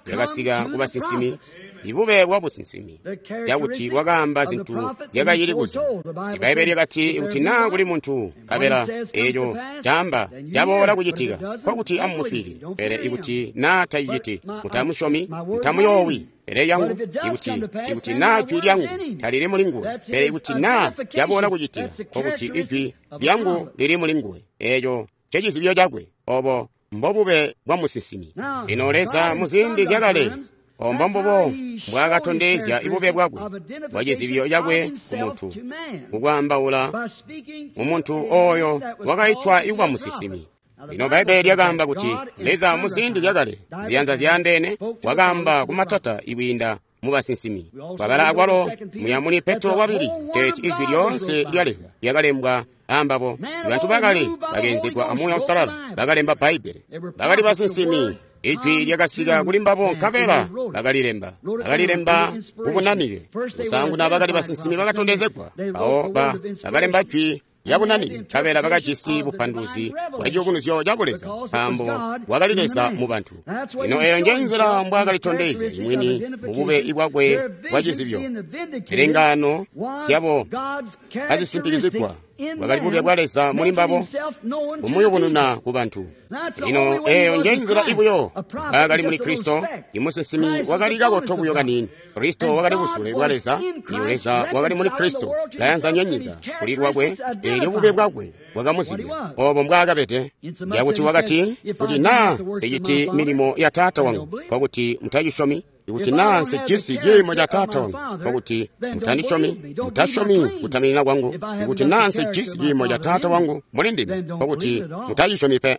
lyakasika ku basinsimi, ibube bwa businsimi, cakuti wakaamba zintu zyakacili kuza. Ibbaibbele lyakati, kuti naa kuli muntu nkabela eeco caamba caboola kucitika, nkokuti amumuswiilile. Pele ikuti naa taciciti, mutamusyomi, mutamuyoowi. Pele lyangu, ikuti naa jwi lyangu talili mulinguwe, pele ikuti naa caboola kucitika, nkokuti ijwi lyangu lili mulinguwe. Eeco ncecizibyo cakwe. Obo mbobube bwa musinsimi. Lino Leza muziindi zyakale, ombo mbubo mbwaakatondezya ibube bwakwe bwa cizibyo cakwe ku muntu, kukwaambaula mumuntu oyo wakaitwa ikuba musinsimi. Lino Bbaibbele lyakaamba kuti Leza muziindi zyakale, ziyanza zyaandeene, wakaamba kumatata ikwiinda mu basinsimi. Twabala akwalo muya muli Petro wabili teeti ijwi lyoonse lya Leza lyakalembwa ambabo. Bantu bakale bakeenzegwa a Muuya Uusalala bakalemba Bbaibbele. Bakali basinsimi. Ijwi lyakasika kuli mbabo nkabela bakalilemba. Bakalilemba kubunanike. Kusaanguna bakali basinsimi bakatondezegwa. Mpawo bakalemba jwi lyabunanike nkabela bakajisi bupanduzi bwa ciyubunuzyo ca Buleza, nkaambo wakali Leza mu bantu. Lino eyo nje nzila mbwaakalitondezya imwini mubube bwakwe bwa cizibyo. Zilengaano zyabo kazisimpikizigwa, bwakali bube bwa Leza muli mbabo, kumuyubununa ku bantu. Lino eyo nje nzila ibuyo mbwaakali muli Kristo. Imusinsimi wakali kakoto buyo kaniini. Kristo wakali busule bwa Leza, iyo Leza wakali muli Kristo, kayanzanya nyika kuli lwakwe. Eelyo bube bwakwe bwakamuzibya obo mbwaakabede. Njakuti wakati, kuti naa nsiciti milimo ya Taata wangu, nkokuti mutacisyomi. Ikuti naa nsijisi ciimo ca Taata wangu, nkokuti mutandisyomi, mutasyomi kutaminina kwangu. Ikuti naa nsijisi ciimo ca Taata wangu muli ndime, nkokuti mutacisyomi pe.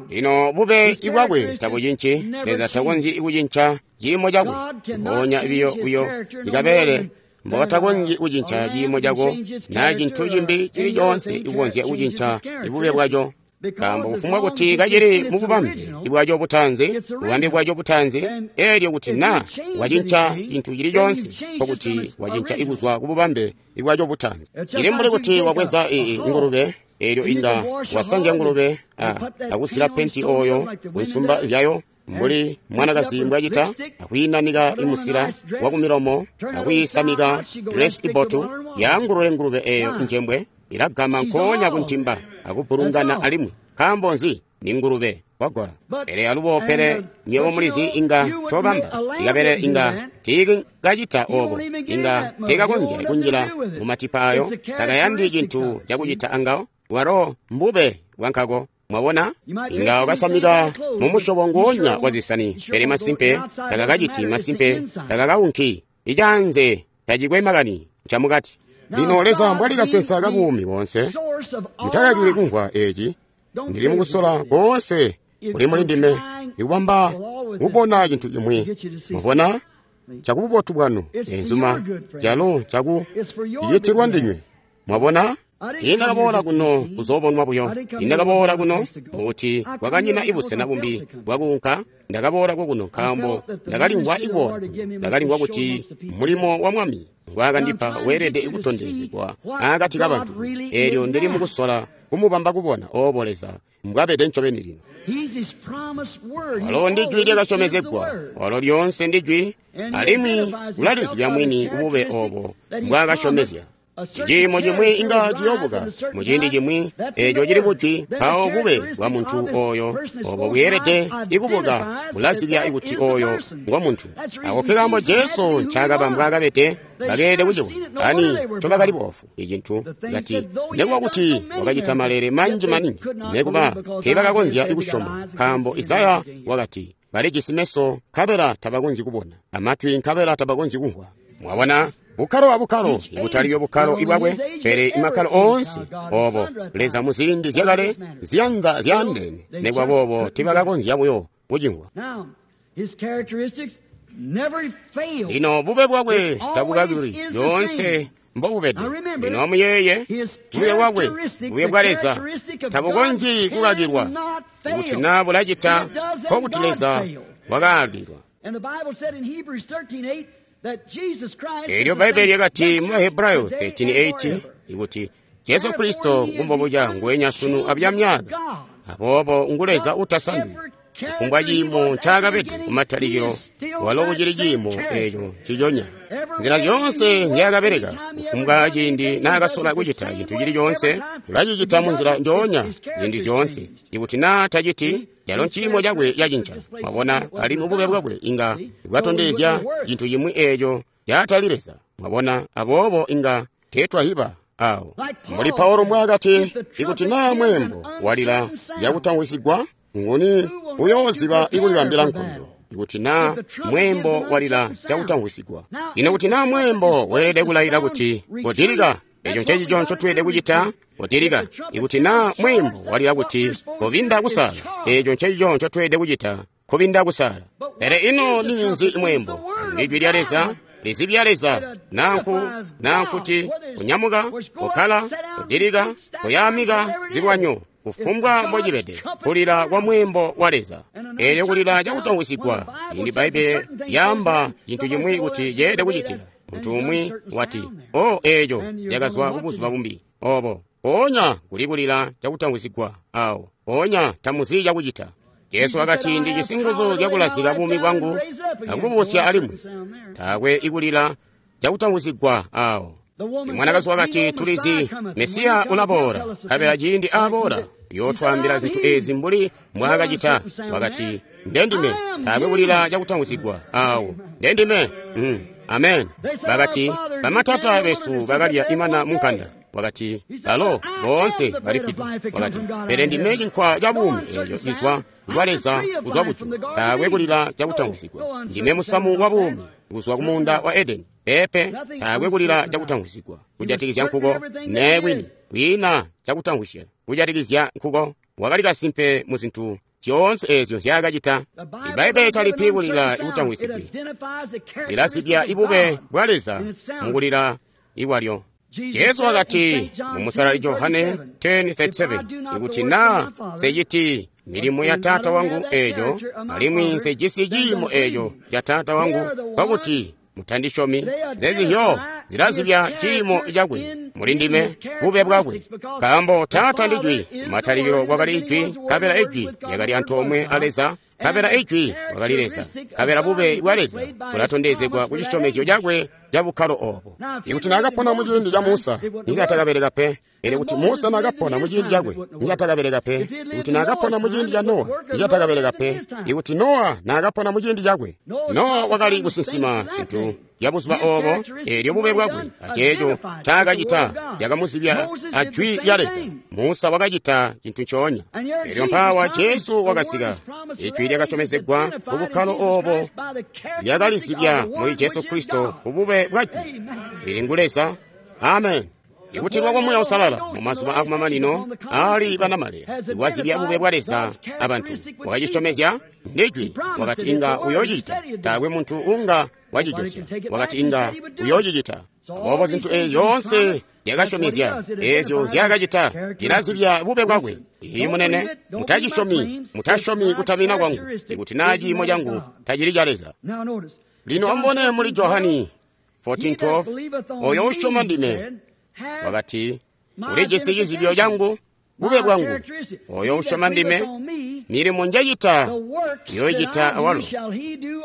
Lino bube ibwakwe tabucinci. Leza takonzyi kucinca ciimo cakwe. Mpoonya biyo buyo ikabele mbokatakonzyi kucinca ciimo cako naa cintu cimbi cili coonse ikukonzya kucinca ibube bwaco. Nkaambo kufumbwa kuti kacili mububambe bwaco butaanzi, bubambe bwaco butaanzi, eelyo kuti naa wacinca cintu cili coonse, nkokuti wacinca ikuzwa kububambe bwaco butaanzi. Cili mbuli kuti wabweza ingulube, eelyo inga wasanzya ngulube akusila penti oyo kunsumba zyayo, mbuli mwanakazi mbwacita, akwiinanika imusila wakumilomo, akwiisamika dresi ibotu, yaangulule ngulube eyo njembwe, ilagama nkoonya kuntimba akubulungana alimwi. Nkaambo nzi? Ni ngulube wagola. Pele alubo, pele nywebo mulizi inga tobamba ikabele inga tiikacita obo, inga tiikakonzya kunjila mumatipa ayo, takayandi cintu cakucita angawo. Walo mbube bwankako. Mwabona, inga wakasamika mumusyobo nguonya wa zisani, pele masimpe takakaciti, masimpe takakaunki. Icaanze tacikwe makani, ncamukati. Lino Leza mbwali kasensa kabuumi boonse, mutakakili kumvwa eci. Ndili mukusola koonse kuli muli ndime ikubamba kubona cintu cimwi. Mwabona, cakububotu bwanu, enzuma, calo caku cicitilwa ndinywe. Mwabona? Tiindakaboola kuno kuzoobonwa buyo. Tiindakaboola kuno mukuti kwakanyina ibusena bumbi bwakuunka. Ndakaboola kokuno nkaambo ndakalimvwa ikuboola kuno. Ndakalimvwa kuti mulimo wa Mwami ngwaakandipa weelede kutondezegwa akati kabantu. Eelyo ndili mukusola kumubamba kubona oobo Leza mbwabede ncobeni lino. Walo ndi Jwi lyakasyomezegwa. Walo lyoonse ndi Jwi, alimwi ulalizibya mwini bube oobo mbwaakasyomezya. Ciimo cimwi inga ciyoobuka muciindi cimwi eeco cili mujwi, mpawo bube bwa muntu ooyo obo bweelede ikubuka bulazibya kuti ooyo ngo muntu. Ako ke kaambo Jesu ncaakaba mbwaakabede, bakeelede kucibona. Ani ncobakali boofu icintu kati nekuba kuti wakacita maleele manji maningi, nekuba teebakakonzya kusyoma, nkaambo Isaya wakati balijisi meso nkabela tabakonzyi kubona, amatwi nkabela tabakonzyi kumvwa. Mwabona? Bukkalo abukkalo, ikutali bukkalo ibwakwe, pele imakkalo oonse obo Leza muziindi zyakale ziyanza zyaandeene, nekuba boobo tiibakakonzya buyo kucimvwa. Lino bube bwakwe tabukakilwi, lyoonse mbobubede. Lino amuyeeye, bube bwakwe, bube bwa Leza tabukonzyi kukakilwa. Ikuti naa bulacita, nkokuti Leza wakaalilwa. Eelyo Bbaibbele lyakati mu Bahebrayo 13:8 ikuti Jesu Kristo ngumbobuca nguwenya sunu abuya Aboobo ngu Leza utasandwi. Kufumbwa ciimo ncaakabede kumatalikilo, walo kucili ciimo eeco nciconya. Nzila zyoonse nzyaakabeleka, kufumbwa ciindi naakasola kucita cintu cili coonse, ulacicita munzila njoonya ziindi zyoonse. Ikuti naa taciti, calo nciimo cakwe cacinca. Mwabona, alimwi bube bwakwe inga bwatondezya cintu cimwi eeco caatali Leza. Mwabona, aboobo inga teetwahiba awo. Mbuli Paulo mbwaakati, ikuti naa mweembo walila zyakutamwisigwa, nguni uyooziba ikulibambila nkondo? Ikuti naa mweembo walila cakutamwisigwa. Ino kuti naa mweembo weelede kulayila kuti kodilika, eco ncencico ncotweelede kucita, kodilika. Ikuti naa mweembo walila kuti kobinda kusala, eco ncencico ncotweelede kucita, kobinda kusala. Pele ino ninzi mweembo? Ndijwi lya Leza, lizibya Leza, nankuti kunyamuka, kukkala, kudilika, kuyaamika zilwanyo, kufumbwa mbocibede, kulila kwa mweembo wa Leza. Eelyo kulila cakutamwisigwa, ciindi Bbaibbele lyaamba cintu cimwi kuti ceelede kucitika, muntu umwi wati, o eeco cakazwa kubuzuba bumbi obo. Mpoonya kuli kulila cakutamwisigwa awo, mpoonya tamuzi cakucita. Jesu wakati, ndijisi nguzu zyakulazika buumi bwangu akububusya alimwi. Taakwe ikulila cakutamwisigwa awo. Mwanakazi wakati, tulizi Mesiya ulaboola, nkabela ciindi aboola uyootwaambila zintu ezi mbuli mbwaakacita. Wakati, ndendime. Taakwe kulila cakutamwisigwa awo. Ndendime. Amen. Bakati, bamatata besu bakalya imana munkanda. Wakati, balo boonse balifwide. Wakati, pele ndime cinkwa ca buumi eeco cizwa kwa Leza kuzwa kujulu. Taakwe kulila cakutamwisigwa. Ndime musamu wa buumi kuzwa kumuunda wa Edeni. Pepe, taakwe kulila cakutamwisigwa kujatikizya nkuko. Nee kwini, kwiina cakutamwisya kujatikizya nkuko. Wakali kasimpe mu zintu zyoonse eezyo nzyaakacita. Ibbaibbele talipi kulila ikutamwisigwi, lilazibya ibube bwa Leza mukulila ikwalyo. Jesu wakati mu Musalali Johane 10:37, ikuti naa nseciti milimo ya Taata wangu eeco, alimwi nsejisi ciimo eeco ca Taata wangu, nkokuti mutandisyomi. Zezihyo zilazibya ciimo cakwe muli ndime, bube bwakwe. Nkaambo Taata ndi Jwi, matalikilo kwakali Ijwi, nkabela Ijwi lyakali antoomwe a Leza, nkabela Ijwi wakali Leza, nkabela bube bwa Leza bulatondezegwa ku cisyomezyo cakwe ca bukkalo obo. Ikuti naakapona muciindi ca Musa, nicatakabeleka pe. Pele kuti Musa naakapona muciindi cakwe, nicatakabeleka pe. Ikuti naakapona muciindi ca Nowa, nicatakabeleka pe. Ikuti Nowa naakapona muciindi cakwe, Nowa wakali kusinsima zintu ya buzuba obo, eelyo bube bwakwe aceeco ncaakacita lyakamuzibya a Jwi lya Leza. Musa wakacita cintu ncoonya. Eelyo mpaawa Jesu wakasika, Ijwi lyakasyomezegwa ku bukkalo obo lyakalizibya muli Jesu Kristo ku bube bwa Jwi lili ngu Leza. Amen. Ikutilwa kwa Muuya Uusalala mu mazuba akumamanino aali banamaleya iwazibya bube bwa Leza abantu. Wakacisyomezya ndijwi, wakati inga uyoocicita. Taakwe muntu unga wacijosya, wakati inga uyoocicita. Aboobo zintu eezi zyoonse lyakasyomezya. Eezyo nzyaakacita cilazibya bube bwakwe. Ii munene, mutacisyomi, mutasyomi kutamina kwangu, ikuti naa ciimo cangu tacili ca Leza. Lino amubone muli Johani 14:12, oyo usyoma ndime, wakati, ulijisi cizibyo cangu, bube bwangu. Oyo usyoma ndime, milimo njacita yoicita awalo.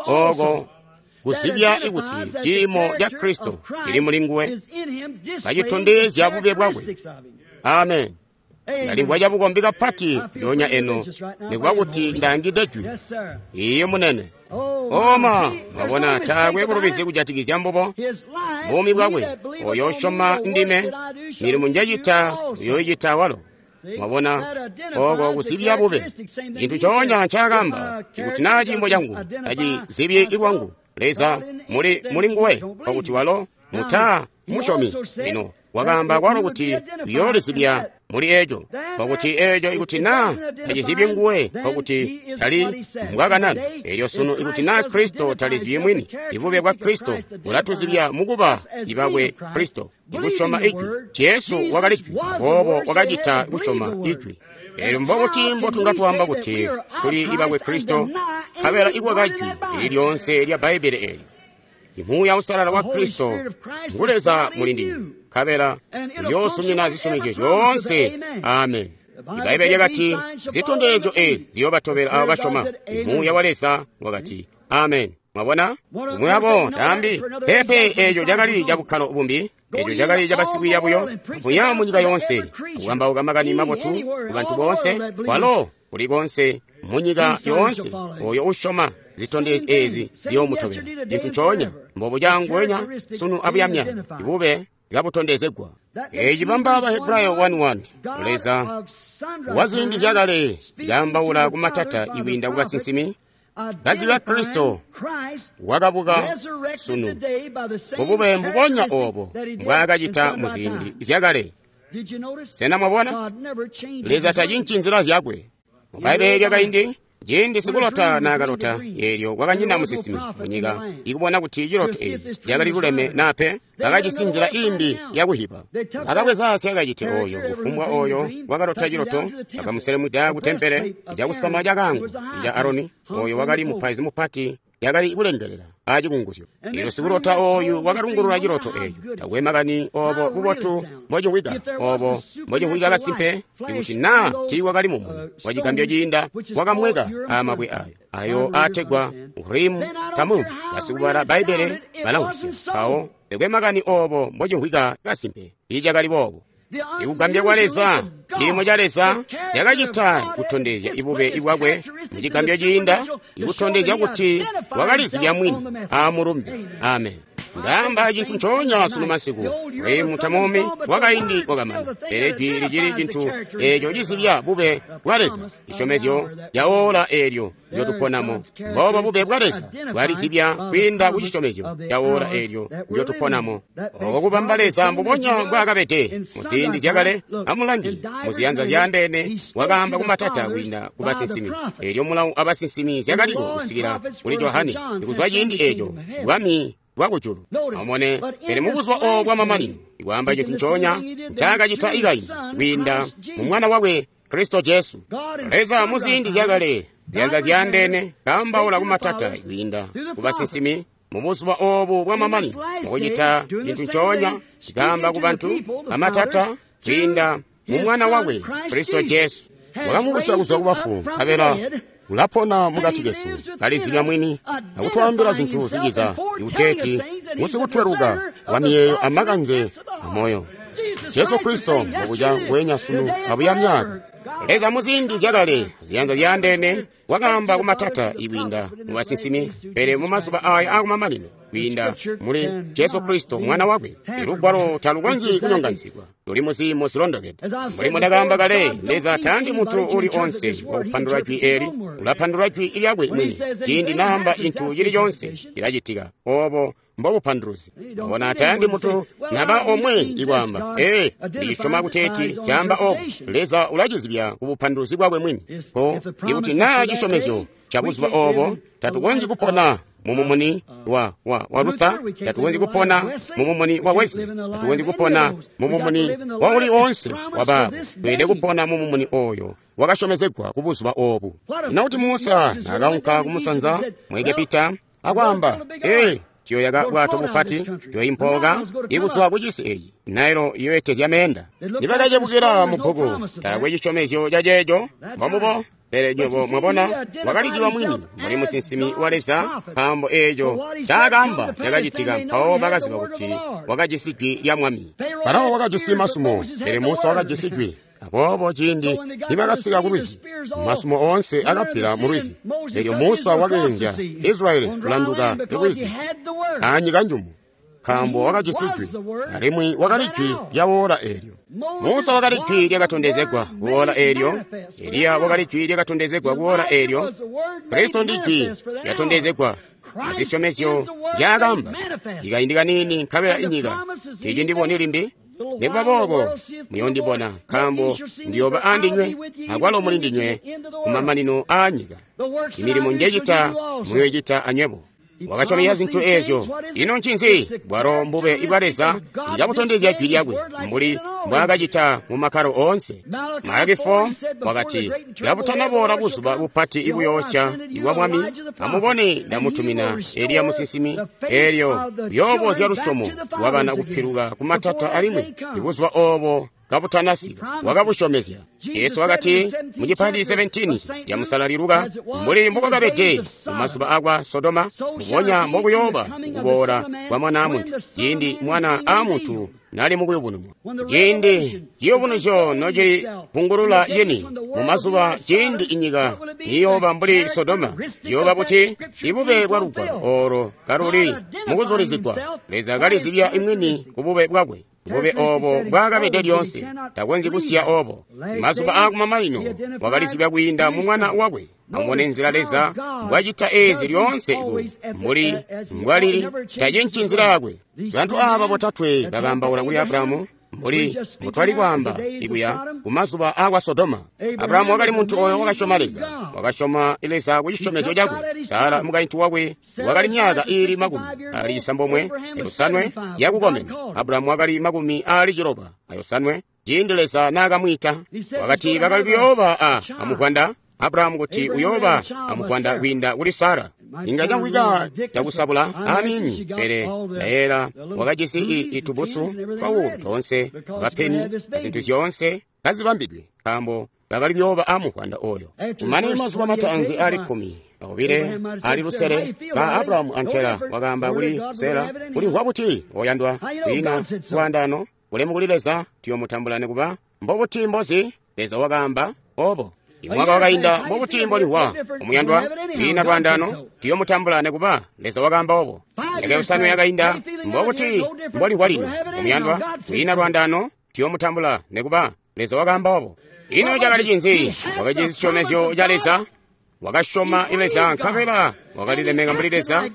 Oko kuzibya ikuti ciimo ca Kristo cili muli nguwe, kacitondezya bube bwakwe. Amen. Ndalimvwa cabukombi kapati ndyonya eno, nikuba kuti ndaangide jwi. Iye munene. Oma, mwabona taakwe bulubizi kujatikizya mbubo. Buumi bwakwe, oyo usyoma ndime, milimo njacita uyoicita awalo. Mwabona, oko kuzibya bube. Cintu ncoonya ncaakamba, ikuti naa ciimo cangu tacizibyi lwangu, Leza muli nguwe, kwakuti walo muta musyomi. Lino wakaamba kwalo kuti uyoolizibya muli eco, kwakuti eco ikuti naa tacizibyi nguwe, kwakuti tali mbwakanana. Elyo sunu ikuti naa Kristo talizibyi mwini, ibube bwa Kristo bulatuzibya mukuba ibakwe Kristo, ikusyoma Ijwi. Jesu wakali Jwi, aboobo wakacita kusyoma Ijwi. Elyo mbobuti mbotunga twaamba kuti tuli ibakwe Kristo, nkabela ikwaka Jwi lili lyoonse lya Bbaibbele eelyo? Imuuya Uusalala wa Kristo ngu Leza muli ndinywe, nkabela uyoosumina zisyomezyo zyoonse. Amen. Ibbaibbele lyakati zitondezyo eezi ziyoobatobela abo basyoma. Imuuya wa Leza wakati amen. Mwabona, umwi wabo taambi pepe, eeco cakali cabukkalo bumbi, eeco cakali cabasikwiiya buyo, buya munyika yoonse kukambauka makani mabotu ku bantu boonse, kwalo kuli konse munyika yoonse. Oyo usyoma zitondezyo eezi ziyoomutobela. Cintu ncoonya mbobu canguwenya sunu abuyamya, ibube kabutondezegwa. Eeci bamba Bahebrayo 1:1. Leza waziindi zyakale yaambaula kumatata ikwiinda kubasinsimi, kazibya Kristo wakabuka sunu bubube mbubonya oobo mbwaakacita muziindi zyakale. Sena mwabona? Leza tacinci nzila zyakwe. Mu Bbaibbele lyakaindi, ciindi sikulota naakalota, eelyo kwakanyina musinsimi munyika ikubona kuti ciloto eeci cakali luleme naa pe, bakajisi nzila imbi yakuhiba. Bakabweza syakacite ooyo, kufumbwa ooyo wakalota ciloto, bakamuselemwida ku tempele cakusama cakaango ca Aroni, ooyo wakali mupaizi mupati, yakali kulengelela acikunguzyo. Eelyo sikulota ooyu wakalungulula ciloto eeco. Takwe makani oobo bubotu mbocimvwika, oobo mbocimvwika kasimpe, ikuti naa tiiwakali mumuni wacigambyo ciinda wakamweka aamabwe ayo, ayo aategwa Urimu Tamumu. Basikubala Bbaibbele balamvwisya. Mpawo takwe makani oobo mbocimvwika kasimpe, tiicakali boobo. Ikugambya kwa Leza, ciimo ca Leza cakacita kutondezya ibube bwakwe mucigambyo ciinda, ikutondezya kuti wakalizibya mwini aamulumbe. Amen. Ndaamba cintu ncoonya sunu masiku. Urimu Tamumi wakaindi wakamana, pele jwi licili cintu eeco cizibya bube bwa Leza, cisyomezyo ca oora eelyo ndyotuponamo. Mboobo bube bwa Leza bwalizibya kwiinda ku cisyomezyo ca oora eelyo ndyotuponamo. Oko kubamba Leza mbubonya mbwaakabede muziindi zyakale. Amulangi muziyanza zyaandeene wakaamba kumatata kwiinda ku basinsimi. Eelyo mulawu abasinsimi zyakaliko kusikila kuli Johani. Ikuzwa ciindi eeco bwami bwakujulu. Amubone, pele mubuzuba oobo bwamamanino, ikwaamba cintu ncoonya ncaakacita ikaindi kwiinda mu Mwana wakwe Kristo Jesu. Leza muziindi zyakale, ziyanza zyaandeene, kaambaula kumatata kwiinda ku basinsimi, mubuzuba oobu bwamamanino, mukucita cintu ncoonya kaamba ku bantu amatata kwiinda mu Mwana wakwe Kristo Jesu. Wakamubusya kuzwa kubafu, nkabela ulapona mukati kesu, kalizibya mwini akutwaambila zintu ziciza, ikuteeti musikutweluka wa miyeeyo amakanze amoyo. Jesu Kristo mbobuca nguwenya sunu abuya myaka. Leza muziindi zyakale, ziyanza zyaandeene, wakaamba kumatata ikwiinda mu basinsimi, pele mumazuba aya aakumamanino kwiinda muli Jesu Kristo Mwana wakwe. Ilugwalo talukonzyi kunyonganizigwa, luli muziimo zilondokede. Mbuli mbundakaamba kale, Leza tayandi muntu uli onse wakupandula jwi eeli, ulapandula jwi lyakwe mwini. Ciindi naamba cintu cili coonse, cilacitika. Oobo mbobupanduluzi. Bona tayandi muntu naba omwe ikwaamba, ee, ndisyoma kuteeti caamba oobo. Leza ulacizibya kubupanduluzi bwakwe mwini. Ko ikuti naa cisyomezyo ca buzuba oobo, tatukonzyi kupona mu mumuni wa Luther, tatukonzyi kupona mu mumuni wa Wesley, tatukonzyi kupona mu mumuni wa uli oonse wa baabo. Tweelede kupona mu mumuni oyo wakasyomezegwa ku buzuba obu. Ino kuti Musa naakaunka kumusanza mu Egepita akwaamba, ee, tuyoyaka bwato bupati, tuyoimpooka ikuzwa ku cisi eeci, Nailo iyoetezya meenda. Nibakacebukila mu bbuku, taakwe cisyomezyo ca ceeco, mbombubo. Pele nywebo mwabona, wakaliziba mwini mbuli musinsimi wa Leza, nkaambo eeco ncaakaamba cakacitika. Mpawo bakaziba kuti wakajisi jwi lya Mwami. Farao wakajisi masumo, pele Musa wakajisi jwi. Aboobo ciindi nibakasika ku lwizi, masumo oonse akappila mu lwizi. Elyo Musa wakeenzya Israyeli kulanduka lwizi anyika njumu, nkaambo wakajisi jwi, alimwi wakali jwi lya woola eelyo. Musa wakali jwi lyakatondezegwa ku woola eelyo. Eliya wakali jwi lyakatondezegwa ku woola eelyo. Kristo ndi jwi lyatondezegwa azisyomezyo nzyaakamba. Ikaindi kaniini nkabela inyika tiicindiboni limbi, nikuba boobo muyondibona, nkaambo ndiyooba aandinywe, akwalo muli ndinywe kumamanino aanyika. Imilimo njecita muyoicita anywebo. Wakasyomezya zintu eezyo. Ino ncinzi? Bwalo mbube bwa Leza ikabutondezya jwi lyakwe mbuli mbwaakacita mu makkalo oonse. Malaki 4 wakati, kabutanaboola buzuba bupati ibuyoosya ibwa Mwami, amubone ndamutumina Eliya musinsimi, eelyo uyoobozya lusyomo lwabana kupiluka kumatata alimwi ibuzuba oobo kabutanasika. Wakabusyomezya. Jesu wakati mu cipandi 17 ya Musalali Luka, mbuli mbokwakabede mumazuba akwa Sodoma, mbubonya mbokuyooba kuboola kwa Mwana a Muntu, ciindi Mwana a Muntu nali mukuyubununwa. Ciindi ciyubunuzyo nocili pungulula cini mumazuba ciindi inyika niyooba mbuli Sodoma, ciyooba kuti ibube bwa lugwalo oolo kaluli mukuzulizigwa. Leza kalizibya imwini kubube bwakwe. Bube oobo mbwaakabede lyoonse, takonzyi kusiya oobo. Mazuba aakumamanino wakalizibya kwiinda mu Mwana wakwe. Amubone nzila Leza mbwacita eezi lyoonse mbuli mbwalili, tacinci nzila yakwe. Bantu aaba botatwe bakaambaula kuli Abrahamu mbuli mbutwali kwaamba ikuya kumazuba aakwa Sodoma. Abrahamu wakali muntu oyo wakasyoma Leza, wakasyoma Leza ku cisyomezyo cakwe. Sara mukaintu wakwe wakali myaka iili 95 yakukomena. Abrahamu wakali 95 ciindi Leza naakamwiita. Wakati bakali kuyooba amuvwanda Abrahamu kuti uyooba amuvwanda kwiinda kuli Sara. Inga camvwika cakusabula aniini, pele Laela wakajisi itubusu twawulu toonse, bapeni azintu zyoonse kazibambidwe, nkaambo bakali kuyooba amuvwanda oyo. Kumane mazuba mataanzi aali 12 ali lusele ba Abrahamu antela wakaamba kuli Sara, ulimvwa buti oyandwa? Kwiina lwaandaano, ulemu kuli Leza, tuyomutambula nikuba mbobuti mbozi. Leza wakaamba obo. Imwaka wakainda mbobuti mbolimvwa omuyandwa? Kwiina lwaandaano, tuyomutambula nikuba Leza wakaamba obo. Myaka 5 yakainda mbobuti mbolimvwa lino omuyandwa? Kwiina lwaandaano, tuyomutambula nikuba Leza wakaamba obo. Ino cakali cinzi? Wakajisi cisyomezyo ca Leza. Wakasyoma Leza nkabela wakalilemeka mbuli Leza.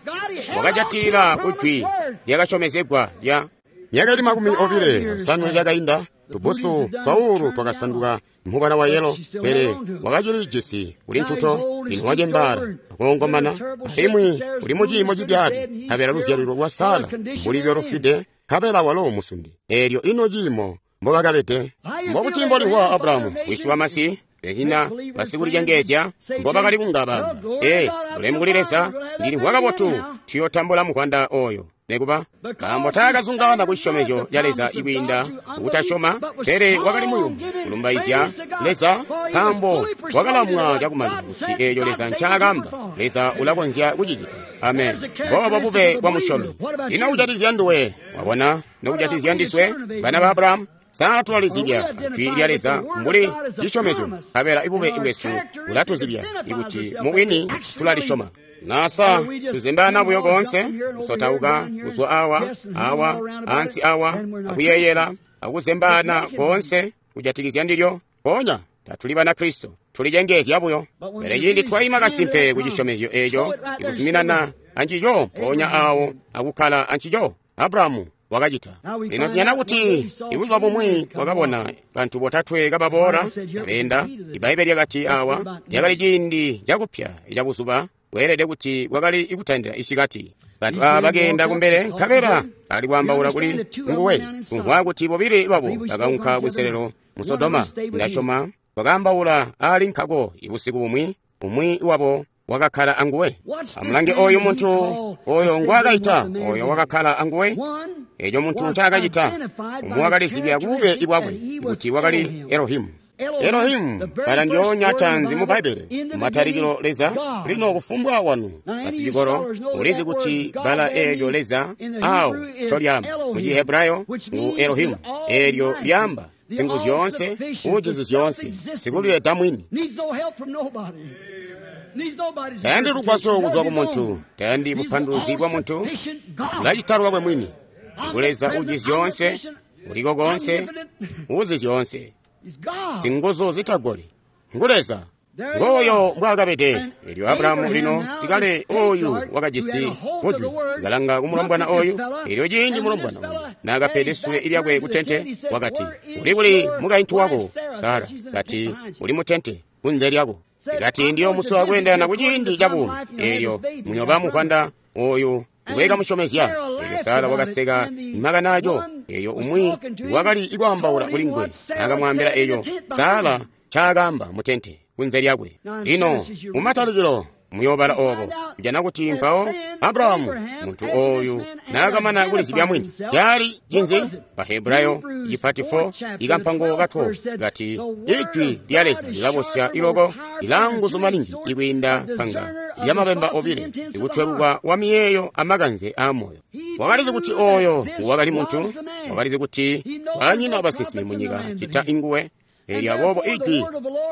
Wakajatilila kujwi lyakasyomezegwa lya myaka ili 25 yakainda. Tubusu twawulu twakasanduka mubala wa yelo, pele wakacilijisi kuli ntuto. Lino wacembaala akoongomana, alimwi uli muciimo cibyaabi, nkabela luzyalilo lwa Sara mbuli lwalufwide, nkabela walo musundi. Eelyo ino ciimo mbobakabede? Mbobuti mbolimvwa Abrahamu wisi wamasi? Ezina basikulicengeezya mbobakali kunga baamba, ee, ulemu kuli Leza, ndilimvwa kabotu, tuyotambula muvwanda oyo. Nikuba nkaambo taakazungaana ku cisyomezyo ca Leza ikwiinda kutasyoma, pele wakali muyumu kulumbaizya Leza, nkaambo wakalamwa cakumanya kuti eeco Leza ncaakaamba, Leza ulakonzya kucicita. Amen. Mboobo bube bwa musyomi. Ino kujatikizya nduwe? Wabona, nokujatikizya ndiswe, bana ba Abrahamu? Sa tulalizibya jwi lya Leza mbuli cisyomezyo, nkabela ibube bwesu bulatuzibya ikuti mubwini tulalisyoma. Nasa tuzembaana buyo koonse, kusotauka kuzwa awa, awa, ansi awa, akuyeeyela, akuzembaana koonse kujatikizya ndilyo. Mpoonya tatuli Banakristo, tulicengeezya buyo. Pele ciindi twaima kasimpe ku cisyomezyo eeco, ikuzuminana ancico, mpoonya awo akukkala ancico, Abrahamu wakacita. Lino tujana kuti ibuzuba bumwi wakabona bantu botatwe kababoola kabeenda. Ibbaibbele lyakati awa lyakali ciindi cakupya cabuzuba. Kweelede kuti kwakali kutandila isikati. Bantu aba bakeenda kumbele nkabela ali kwaambaula kuli nguwe. Kumvwa kuti bobile babo bakaunka kunselelo mu Sodoma. Ndasyoma bakaambaula ali nkako ibusiku bumwi, umwi wabo wakakkala anguwe. Amulange oyu muntu oyo ngwaakaita, oyo wakakkala anguwe. Eco muntu ncaakacita, umwi wakalizibya kubube bwakwe kuti wakali Elohimu. Elohimu bbala ndyoonya taanzi mu Bbaibbele, matalikilo Leza. Lino kufumbwa wanu basicikolo ulizi kuti bbala eelyo Leza awo ncolyaamba mu Cihebrayo ngu Elohimu, eelyo lyaamba singuzu zyoonse, uujizi zyoonse, sikulyeeda mwini. Tayandi lugwasyo kuzwa ku muntu, tayandi bupanduluzi bwa muntu, ulacita lwakwe mwini. Ngu Leza uujizi zyoonse, uliko koonse, uuzi zyoonse, singuzu zitagoli. Ngu Leza. Ngooyo mbwaakabede. Elyo Abrahamu lino sikale oyu wakajisi kujwi kalanga ku mulombwana oyu. Elyo ciindi mulombwana oyu naakapede sule lyakwe ku tente, wakati, uli kuli mukaintu wako Sara? Kati, uli mu tente kunze lyako. Kati, ndiyomusowa kweendelana ku ciindi ca buumi, elyo muyoba muvwanda oyu ngwekamusyomezya. Elyo Sara wakaseka makani aco. Elyo umwi wakali kwaambaula kuli nguwe akamwaambila eco Sara ncaakaamba mu tente kunze lyakwe. Lino mumatalikilo muyoobala obo, kujana kuti mpawo Abrahamu muntu oyu naakamana kulizibya mwini, cali cinzi? Bahebrayo cipati 4 ikampango ka 12 kati, ijwi lya Leza lilabosya iloko, lilaanguzu maningi ikwiinda panga lyamabemba obile, ikutweluka wa miyeeyo amakanze aamoyo. Wakalizi kuti oyo wakali muntu, wakalizi kuti kwanyina basinsimi munyika cita inguwe. Elyo aboobo ijwi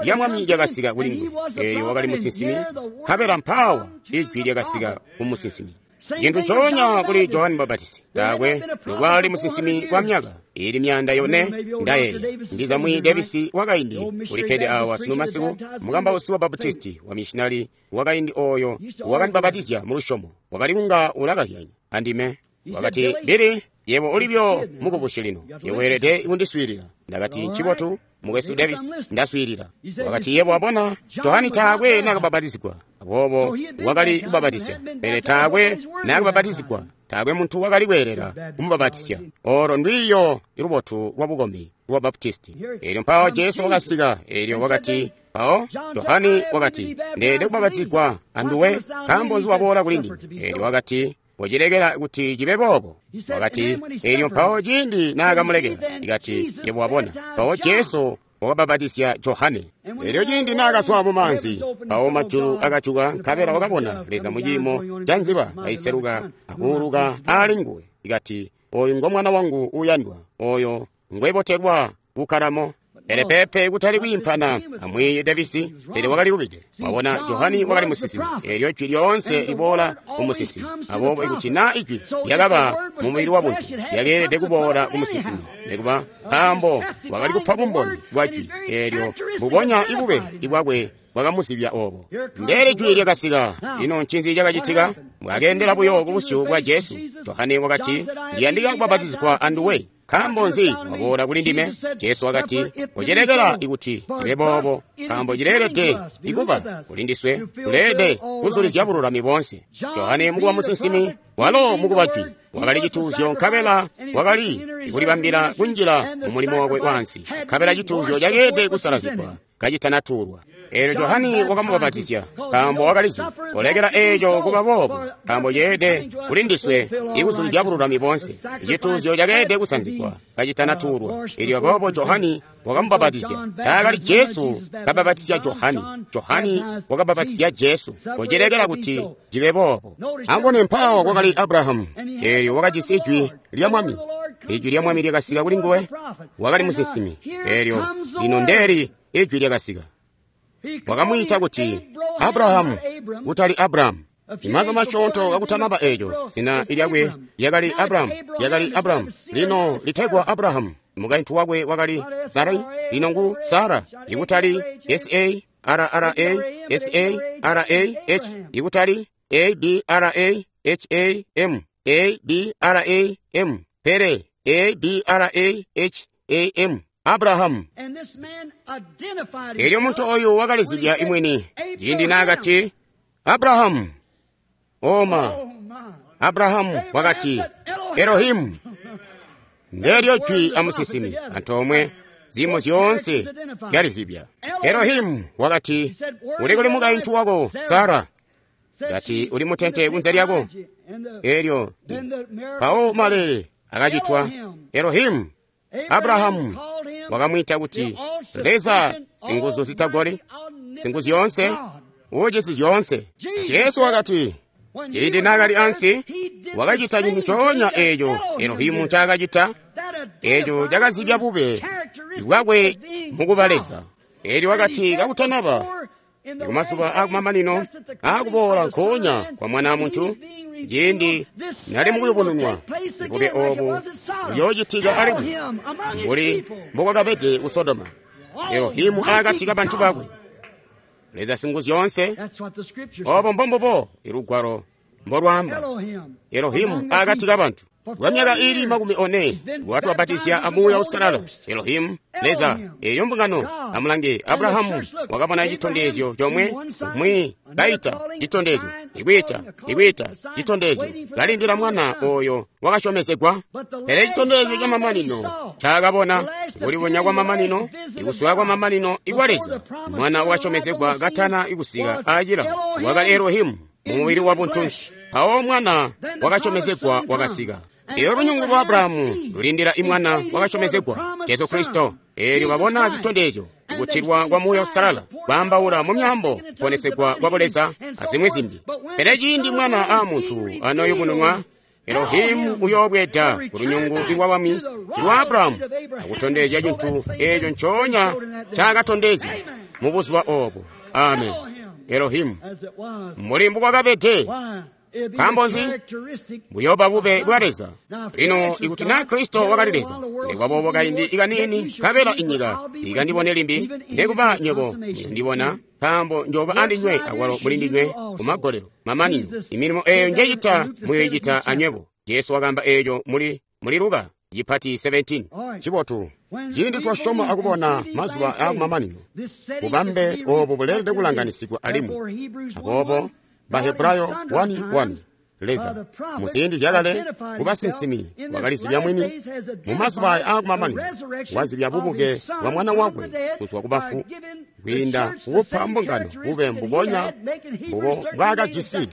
lya Mwami lyakasika kuli nguwe. Elyo wakali musinsimi, nkabela mpaawa ijwi lyakasika ku musinsimi. Cintu ncoonya kuli Johane Mubapatizi, taakwe nokwali musinsimi kwa myaka ili 400 ndayeeya. Ndiza mwi Davisi wakaindi ulikkede awa sunu masiku, mukambausi wa Baptisti wa missionary wakaindi oyo wakandibapatizya mu lusyomo, wakali kunga ulakazyanya andime. Wakati, Billy, yebo ulibyo mukubusyi lino, yebo weelede kundiswiilila. Ndakati, ncibotu, mukwesu Davis, ndaswiilila. Wakati, yebo wabona, Johane taakwe naakabapatizigwa, aboobo wakali kubapatizya, pele taakwe naakabapatizigwa, taakwe muntu wakali kweelela kumubapatizya. Olo ndwiiyo lubotu lwa bukombi lwa Baptisti. Elyo mpawo Jesu wakasika, elyo wakati, mpawo Johane wakati, ndeelede kubapatizigwa anduwe, nkaambo nzi waboola kuli ndime? Elyo wakati, wacilekela kuti cibe boobo. Wakati, elyo mpawo ciindi naakamulekela, ikati, yebo wabona, mpawo Jesu wakabapatizya Johane. Elyo ciindi naakazwa mu maanzi, mpawo majulu akajuka, nkabela wakabona Leza mu ciimo ca nziba kaiseluka akuuluka aali nguwe. Ikati, oyu ngo mwana wangu uuyandwa, oyo ngwebotelwa kukkalamo. Pele pepe kutali kwiimpana amwiiyi Davisi, pele wakali lubide. Wabona, Johane wakali musinsimi. Elyo ijwi lyoonse liboola ku musinsimi. Aboobo ikuti naa ijwi lyakaba mu mubili wa buntu, lyakeelede kuboola ku musinsimi, nekuba nkaambo wakali kupa bumboni bwa jwi eelyo, mbubonya ibube bwakwe bwakamuzibya obo. Ndeeli jwi lyakasika. Ino ncinzi cakacitika? Bwakeendela buyo ku busyu bwa Jesu. Johane wakati, ndiyandika kubapatizigwa anduwe, nkaambo nzi waboola kuli ndime? Jesu wakati, ucilekela ikuti cibe boobo, nkaambo cileelede ikuba kuli ndiswe, tuleelede kuzulizya bululami boonse. Johane mukuba musinsimi, walo mukuba jwi, wakali cituuzyo, nkabela wakali kulibambila kunjila mu mulimo wakwe waansi, nkabela cituuzyo cakeelede kusalazigwa kacitanatuulwa. Eelyo Johane wakamubapatizya, nkaambo wakalizi kolekela eeco kuba boobo, nkaambo ceelede kuli ndiswe ikuzulizya bululami boonse. Icituuzyo cakeelede kusanzigwa kacitanatuulwa. Eelyo aboobo Johane wakamubapatizya. Taakali Jesu kabapatizya Johane, Johane wakabapatizya Jesu, kocilekela kuti cibe boobo. Ambone mpaawa kwakali Abrahamu, eelyo wakajisi ijwi lya Mwami. Ijwi lya Mwami lyakasika kuli nguwe, wakali musinsimi. Eelyo lino ndeeli ijwi lyakasika. Wakamwiita kuti Abrahamu, kutali Abrahamu. Imazuba masyoonto kakutanaba eeco, zina lyakwe lyakali Abrahamu, lyakali Abrahamu. Lino litegwa Abrahamu. Mukaintu wakwe wakali Sarai, lino ngu Sara, ikutali S-A-R-R-A, S-A-R-A-H, ikutali A-B-R-A-H-A-M, A-B-R-A-M, pele A-B-R-A-H-A-M, Abrahamu. Elyo muntu oyu wakalizibya imwini ciindi naakati Abrahamu, oma, Abrahamu wakati, Elohimu. Ndeelyo jwi amusinsimi antoomwe ziimo zyoonse zyalizibya. Elohimu wakati, uli kuli mukaintu wako Sara? Kati uli mutente kunze lyako. Elyo mpawo maleele akacitwa. Elohimu. Abrahamu wakamwiita kuti Leza singuzu zitagoli, singuzu zyoonse, uujisi zyoonse. Jesu wakati, ciindi naakali ansi, wakacita cintu ncoonya eeco Elohimu ncaakacita, eeco cakazibya bube bwakwe mukuba Leza. Eelyo wakati kakutanaba kumazuba akumamanino aakuboola nkoonya kwa Mwana wa Muntu, ciindi nali mukuyubununwa, bube oobu buyoocitika alimwi mbuli mbokwakabede ku Sodoma. Elohimu akati kabantu bakwe, Leza Singuzyoonse. Oobo mbombubo ilugwalo mbolwaamba. Elohimu akati kabantu kwa myaka iili 40 watubapatizya a Muuya Uusalala. Elohimu, Leza, eyo mbungano. Amulange, Abrahamu wakabona citondezyo comwe, umwi kaita citondezyo, ikwiita, ikwiita citondezyo, kalindila mwana oyo wakasyomezegwa. Pele citondezyo camamanino ncaakabona, kulibonya kwamamanino, ikuswaya kwamamanino ikwa Leza, mwana wakasyomezegwa katana ikusika aacila, wakali Elohimu mumubili wa buntunsi. Mpawo mwana wakasyomezegwa wakasika. Eyo lunyungu lwa Abrahamu lulindila imwana wakasyomezegwa, Jesu Kristo. Eelyo babona zitondezyo, kutilwa kwa Muuya Uusalala, kwaambaula mu myaambo, kuponesegwa kwa Buleza, azimwi zimbi. Pele ciindi Mwana a Muntu anoyubununwa, Elohimu uyoobweeda ku lunyungu lwa bwami lwa Abrahamu akutondezya cintu eeco ncoonya ncaakatondezya mu buzuba oobo. Amen. Elohimu mbuli mbukwakabede. Nkaambo nzi? Buyooba bube bwa Leza. Lino ikuti naa Kristo wakali Leza, nekuba kaindi kaniini nkabela inyika ikandibone limbi, nekuba nywebo muyondibona, nkaambo njooba andinywe akwalo muli ndinywe kumagolelo mamanino. Imilimo eeyo njecita muyoicita anywebo. Jesu wakaamba eeco muli Luka cipati 17. Cibotu. Ciindi twasyoma akubona mazuba aakumamanino, bubambe oobu buleelede kulanganisigwa alimwi. Aboobo Bahebrayo 1:1, Leza muziindi zyakale kubasinsimi wakalizibya mwini, mumazuba aakumamanino wazibya bubuke bwa mwana wakwe kuzwa kubafu, kwiinda kukupa mbungano bube mbubonya mbubo bwaakajisi,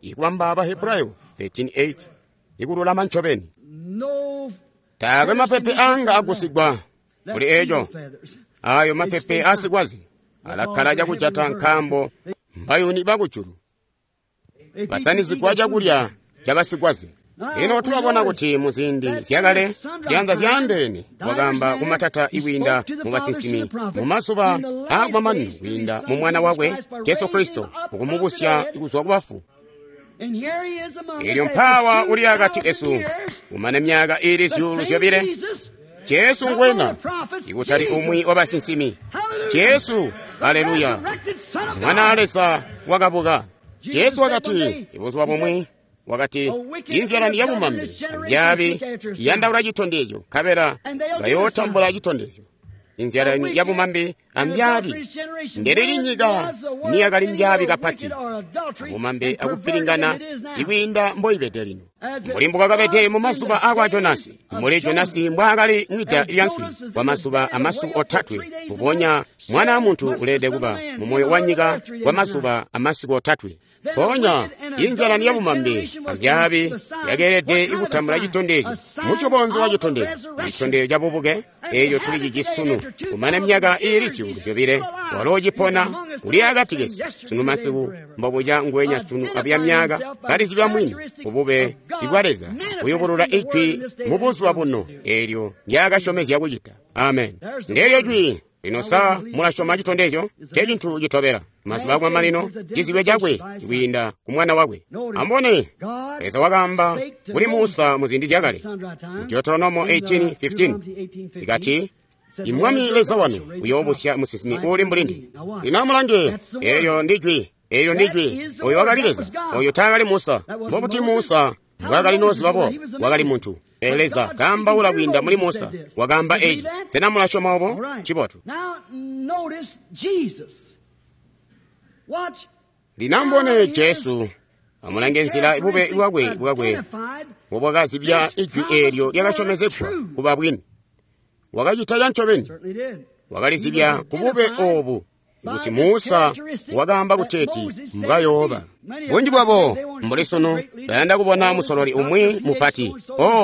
ikubamba Bahebrayo 13:8, ikululama ncobeni. Taakwe mapepe anga agusigwa kuli eeco. Ayo mapepe aasikwaze alakkala cakujata nkaambo mbayuni bakujulu basanizigwa cakulya cabasikwaze. Lino tulabona kuti muziindi zyakale ziyanza zyaandeene wakaamba kumatata ikwiinda mu basinsimi, mu mazuba aakumamanino kwiinda mu Mwana wakwe Jesu Kristo, mukumubusya kuzwa kubafu. Eelyo mpaawa uli akati kesu kumane myaka iili 2,000. Jesu ngwena, ikutali umwi wa basinsimi. Jesu, aleluya, Mwana wa Leza wakabuka. Jesu wakati ibuzuba bumwi, wakati inzyalani yabumambi ambyaabi iyandaula citondezyo, nkabela bayootambula citondezyo. Inzyalani yabumambi ambyaabi, ndelili nyika niyakali mbyaabi kapati, abumambi akupilingana ikwiinda mboibede lino. Mbuli mbukwakabede mu mazuba akwa Jonasi, mbuli Jonasi mbwaakali mwida lya nswi kwa mazuba amasiku otatwe, mbubonya Mwana wa Muntu uleelede kuba mu moyo wa nyika kwa mazuba amasiku otatwe. Mpoonya inzyalani yabumambi ambyaabi yakeelede ikutambula citondezyo, mucobonzi wa citondezyo, citondezyo cabubuke eeco tulicijisi sunu. Kumane myaka iili 2,000 walo cipona uli akati kesu sunu masiku, mbobuca ngwenya sunu abuya myaka, kalizibya mwini kubube bwa Leza, kuyubulula ijwi mu buzuba buno eelyo ndyaakasyomezya kucita. Amen. Ndeelyo jwi. Lino sa mulasyoma citondezyo? Ncecintu citobela mazuba akumamanino, cizibyo cakwe kwiinda ku Mwana wakwe. Amubone, Leza wakaamba kuli Musa muziindi zyakale, Deuteronomo 18:15, ikati, Imwami Leza wanu uyoobusya musinsimi uuli mbuli ndime. Lino amulange, eelyo ndi jwi, eelyo ndi jwi. Oyo wakali Leza, oyo taakali Musa. Mbobuti Musa mbwaakali noziba boobo? Wakali muntu. Pele Leza kaambaula kwiinda muli Musa, wakaamba eci. Sena mulasyoma obo? Cibotu. Lino amubone Jesu, amulange nzila bube bwakwe mbobwakazibya ijwi eelyo lyakasyomezegwa kuba bwini. Wakacita cancobeni, wakalizibya kubube oobu kuti Musa wakaamba kuteeti mbwayooba. Bunji bwabo mbuli sunu bayanda kubona musololi umwi mupati,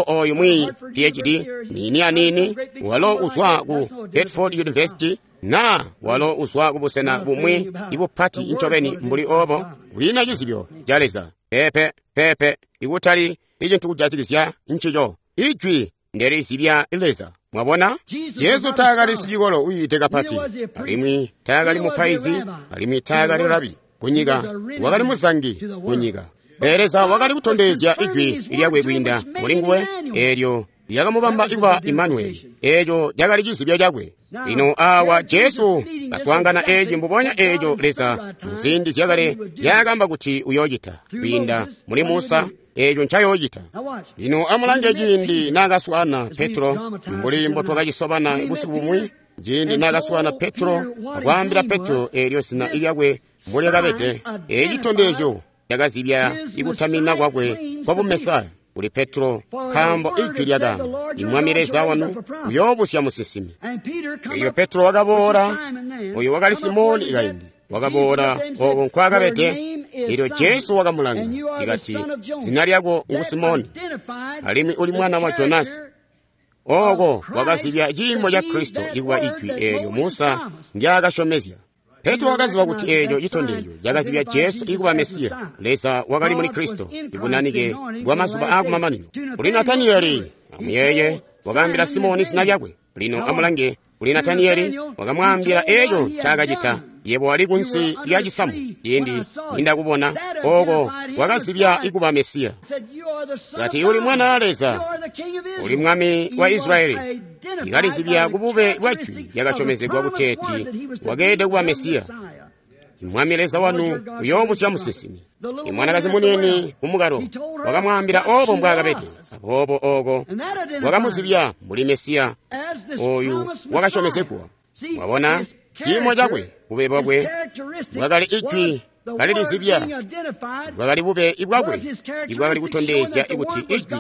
oyu mwi PhD niini aniini, walo uzwa ku Bedford University, na walo uzwa kubusena bumwi ibupati ncobeni mbuli obo, kwiina cizibyo ca Leza. Pepe pepe, ikutali icintu kujatikizya ncico. Ijwi ndelizibya Leza. Mwabona, Jesu taakali sicikolo uyiide kapati, alimwi taakali mupaizi, alimwi taakali rabi kunyika, wakali muzangi kunyika. Pele Leza wakali kutondezya ijwi lyakwe kwiinda mulinguwe, eelyo lyakamubamba kuba Imanueli. Eeco cakali cizibyo cakwe. Lino awa Jesu kaswaangana eeci mbubonya eeco Leza muziindi zyakale nzyaakamba kuti uyoocita kwiinda muli Musa, eeco ncayoocita. Lino amulange ciindi naakaswaana Petro, mbuli mbotwakacisobana busiku bumwi, ciindi naakaswaana Petro akwaambila Petro eelyo zina lyakwe mbolyakabede, eeci citondezyo cakazibya ikutamina kwakwe kwa bumesaya kuli Petro, nkaambo ijwi lyakaamba, Imwami Leza wanu uyoobusya musinsimi. Elyo Petro wakaboola, oyo wakali Simoni kaindi, wakaboola ooko nkwaakabede. Elyo Jesu wakamulanga, ikati, zina lyako ngu Simoni, alimwi uli mwana wa Jonasi. Ooko wakazibya ciimo ca Kristo ikuba ijwi eelyo Musa ndyaakasyomezya. Petro wakaziba kuti eeco citondezyo cakazibya Jesu ikuba Mesiya. Leza wakali muli Kristo, ibunanike bwa mazuba aakumamanino. Kuli Nataniyeli, amuyeeye, wakaambila Simoni zina lyakwe. Lino amulange, kuli Nataniyeli wakamwaambila eeco ncaakacita. Yebo wali kunsi lya cisamu ciindi nindakubona, ooko wakazibya ikuba Mesiya. Kati uli mwana wa Leza, uli mwami wa Israyeli. Ikalizibya kubube bwa jwi lyakasyomezegwa kuteeti wakeelede kuba Mesiya. Mwami Leza wanu uyoobusya musinsimi. Imwanakazi muniini kumukalo wakamwaambila oobo mbwaakabede, aboobo ooko wakamuzibya mbuli Mesiya oyu wakasyomezegwa. Mwabona, ciimo cakwe, bube bwakwe bwakali ijwi kalilizibya, bwakali bube bwakwe ibwakali kutondezya kuti ijwi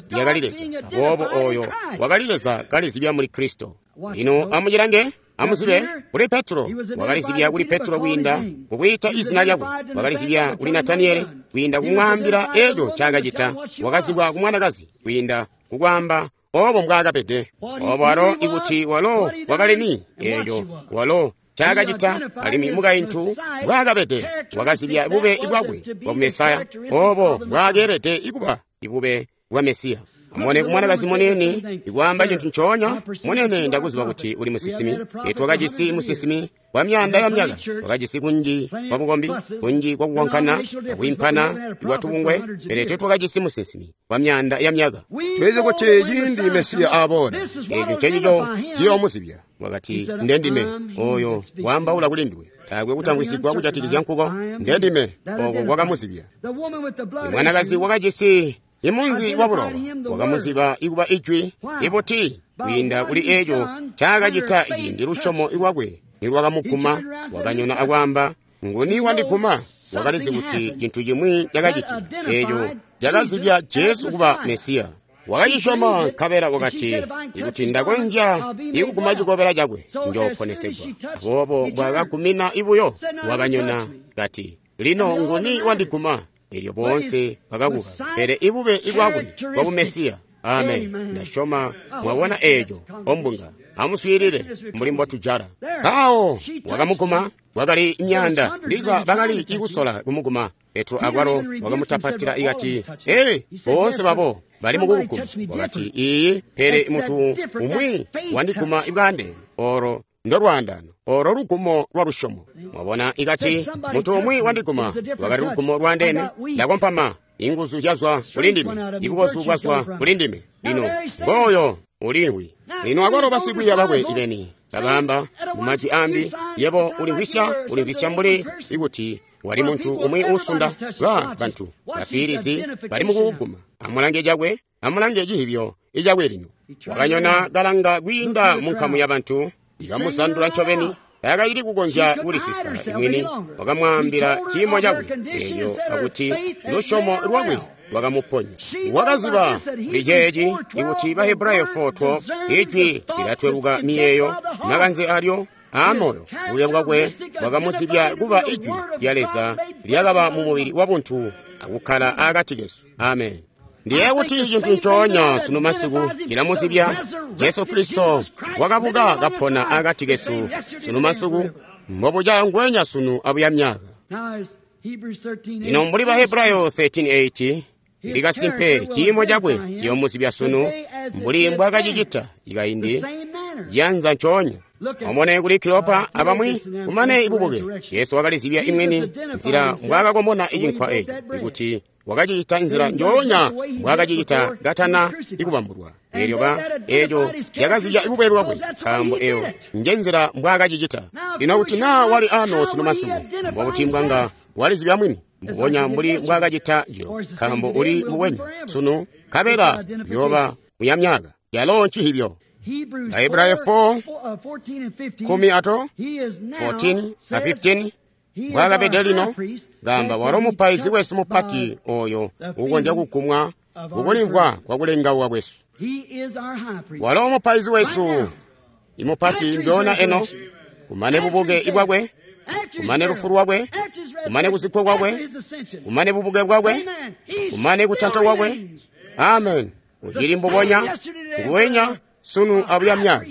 lyakali Leza. Aboobo oyo wakali Leza kalizibya muli Kristo. Lino amucilange, amuzibe kuli Petro, wakalizibya kuli Petro kwiinda kukwiita izina lyakwe, wakalizibya kuli Nataniyeli kwiinda kumwaambila eeco ncaakacita, wakazibwa kumwanakazi kwiinda kukwaamba oobo mbwaakabede. Oobo walo ikuti walo wakali ni, eeco walo ncaakacita, alimwi mukaintu mbwaakabede, wakazibya bube bwakwe bwa Mesaya, oobo mbwaakeelede ikuba ibube bwa Mesiya. Amubone kumwanakazi muniini ikwaamba cintu ncoonya, munene ndakuziba kuti uli musinsimi. Twakajisi musinsimi kwa myaanda ya myaka, twakajisi kunji kwa bukombi, kunji kwa kukonkana, akwiimpana kwa tubungwe, pele tetwakajisi musinsimi kwa myaanda ya myaka. Tulizi kuti ciindi Mesiya aboola, eeco ncencico ciyoomuzibya. Wakati, ndendime oyo waambaula kuli nduwe, taakwe kutamwisigwa kujatikizya nkuko. Ndendime oko kwakamuzibya. Mwanakazi wakajisi imunzi wa bulowa wakamuziba ikuba ijwi ibuti kwiinda kuli eeco ncaakacita ciindi lusyomo lwakwe nilwakamuguma. Wakanyona akwaamba, nguni wandiguma? Wakalizi kuti cintu cimwi cakacitika, eeco cakazibya Jesu kuba Mesiya. Wakacisyoma, nkabela wakati, ikuti ndakonzya ikuguma cikobela cakwe njooponesegwa. Aboobo bwakagumina ibuyo, wakanyona kati, lino nguni wandiguma? Elyo boonse bakakuka. Pele ibube bwakwe bwa bumesiya. Amen. Ndasyoma mwabona eeco ombunga. Amuswiilile mbuli mbotujala. Mpawo wakamuguma, wakali myaanda ndiza bakali ikusola kumuguma. Petro akwalo wakamutapatila ikati, ee, boonse babo bali mukukuguma. Wakati, iiyi, pele mutu umwi wandiguma ibwaandeene. Olo ndolwaandano, olo lugumo lwa lusyomo. Mwabona, ikati mutu umwi wandiguma, lwakali lugumo lwaandeene. Ndakompama, inguzu zyazwa kuli ndime, ibukozu bwazwa kuli ndime. Lino ngooyo ulimwi. Lino akwalo basikwiiya bakwe ibeni babaamba mumajwi ambi, yebo ulimvwisya, ulimvwisya mbuli ikuti wali muntu umwi uusunda. Ba bantu baswiilizi bali mukukuguma. Amulange cakwe, amulange cihibyo icakwe lino. Wakanyona kalanga kwiinda mu nkamu yabantu, ikamuzandula ncobeni. Taakacili kukonzya kulisisa mwini. Wakamwaambila ciimo cakwe eelyo akuti lusyomo lwakwe lwakamuponya. Wakaziba kuli ceeci ikuti Bahebrayo 4:12 ijwi lilatweluka miyeeyo makanze alyo aamoyo. Buya bwakwe bwakamuzibya kuba ijwi lya Leza lyakaba mu mubili wabuntu akukkala akati kesu. Amen. Ndiye kuti cintu ncoonya sunu masiku cilamuzibya Jesu Kristo wakabuka kapona akati kesu sunu masiku, mbobuca ngwenya sunu abuya myaka. Lino mbuli Bahebrayo 13:8 likasimpe ciimo cakwe ciyomuzibya sunu mbuli mbwakacicita ikaindi ciyanza ncoonya. Omone kuli Kilopa abamwi kumane ibubuke Jesu wakalizibya imwini nzila mbwaakakomona icinkwa eco ikuti wakacicita nzila njoonya mbwaakacicita katana ikubambulwa. Eelyo eeco cakazibya ibube bwakwe, nkaambo eyo nje nzila mbwaakacicita. Lino kuti naa wali ano sunu masiku, mbokuti mbwanga walizibya mwini mbubonya mbuli mbwaakacita jilo, nkaambo uli mbubwenya sunu nkabela yooba muyamyaka. Calo ncihibyo. Bahebrayo 4 14 a 15 mbwaakabede lino gamba walo mupaizi wesu mupati oyo ukonzya kugumwa kukulimvwa kwakulengauka kwesu. Walo mupaizi wesu imupati njoona eno, kumane bubuke ibwakwe, kumane lufu lwakwe, kumane kuzikkwa kwakwe, kumane bubuke bwakwe, kumane kutanta kwakwe. Amen. Ucili mbubonya nguwenya sunu abuya myaka,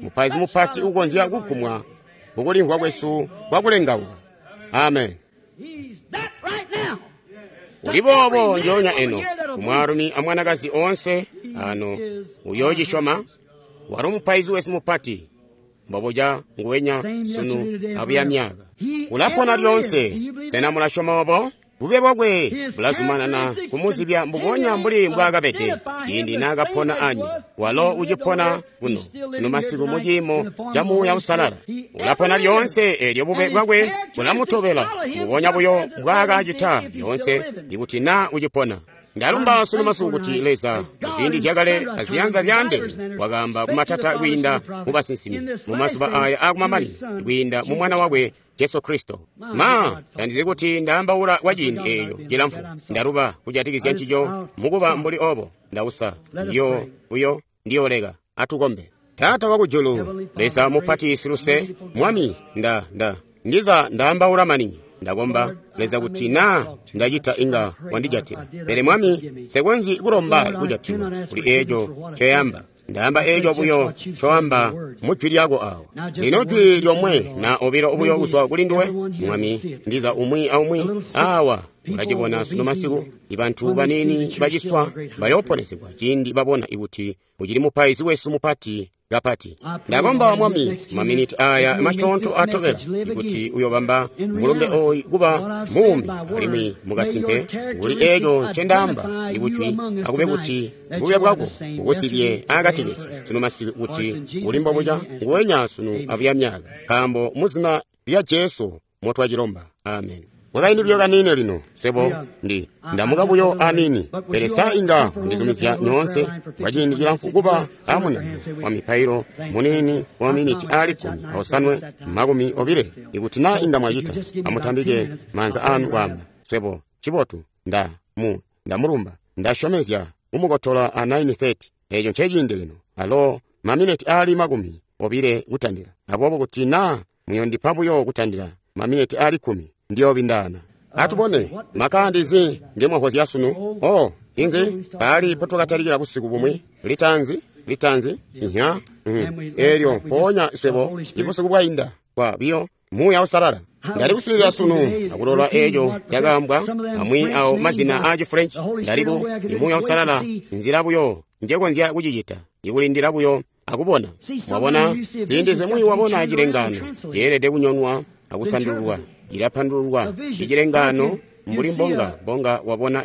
mupaizi mupati ukonzya kugumwa kukulimvwa kwesu kwakulengauka. Amen. Uli boobo njoonya eno kumwaalumi amwanakazi oonse ano uyoocisyoma. Walo mupaizi wesu mupati mbobuca nguwenya sunu abuya myaka, ulapona lyoonse. Sena mulasyoma obo? Bube bwakwe bulazumanana kumuzibya mbubonya mbuli mbwaakabede ciindi naakapona anyu. Walo ucipona kuno sunu masiku mu ciimo ca Muuya Uusalala. Ulapona lyoonse, eelyo bube bwakwe bulamutobela mbubonya buyo mbwaakacita lyoonse ikuti naa ucipona. Ndalumba sunu masiku kuti Leza muziindi zyakale aziyanza zyaandeene wakaamba kumatata kwiinda mu basinsimi mu mazuba aya aakumamanino kwiinda mu Mwana wakwe Jesu Kristo. Ma tandizi kuti ndaambaula kwa ciindi eeyo cilamfu, ndaluba kujatikizya ncico mukuba mbuli obo. Ndausa ndiyo ndiyoleka. Atukombe. Taata wakujulu, Leza mupati siluse, Mwami, ndiza ndaambaula maningi. Ndakomba Leza kuti naa ndacita inga wandijatila. Pele Mwami, nsekonzyi kulomba kujatilwa kuli eeco ncoyamba. Ndaamba eeco buyo ncoamba mu jwi lyako awa. Lino jwi lyomwe na obilo buyo kuzwa kuli nduwe, Mwami, ndiza umwi aumwi awa ulacibona sunu masiku. Ibantu baniini baciswa bayooponesegwa ciindi babona ikuti ucili mupaizi wesu mupati kapati. Ndakomba Mwami, maminiti aya masyoonto atobela ikuti uyobamba mulumbe oyu kuba muumi alimwi mukasimpe kuli eeco ncendaamba ikujwi, akube kuti bube bwako bukusibye akati kesu sunu masiku kuti uli mbobuca nguwenya sunu abuya myaka, nkaambo muzina lya Jesu motwacilomba. Amen. Mwakaindi buyo kaniini lino, sebo ndamuka buyo aniini, pele sa inga ndizumizya nyoonse kwa ciindi cilamfu kuba amunango wa mipailo muniini wa maminiti aali 15 20. Ikuti naa inga mwacita, amutambike maanza anu kwaamba, swebo cibotu, ndamulumba, ndasyomezya kumukotola a 9:30. Eeco nceciindi lino, alo maminiti aali 20 kutandila. Aboobo kuti naa muyondipa buyo kutandila maminiti aali 10, ndiyobindana. Atubone makandizi ngemwahozya sunu. Oh, inzi paali potwakatalikila busiku bumwi litanzi ihya eelyo mpoonya swebo ibusiku bwainda kwa biyo Muuya Uusalala. Ndali kuswiilila sunu akulola eeco cakaambwa amwi awo mazina aa Chifrench. Ndaliku Muuya Uusalala nzila buyo njekonzya kucicita, ikulindila buyo akubona. Wabona ziindi zimwi wabona cilengano ceelede kunyonwa akusandululwa, ilapandululwa icilengano mbuli mbonga wabona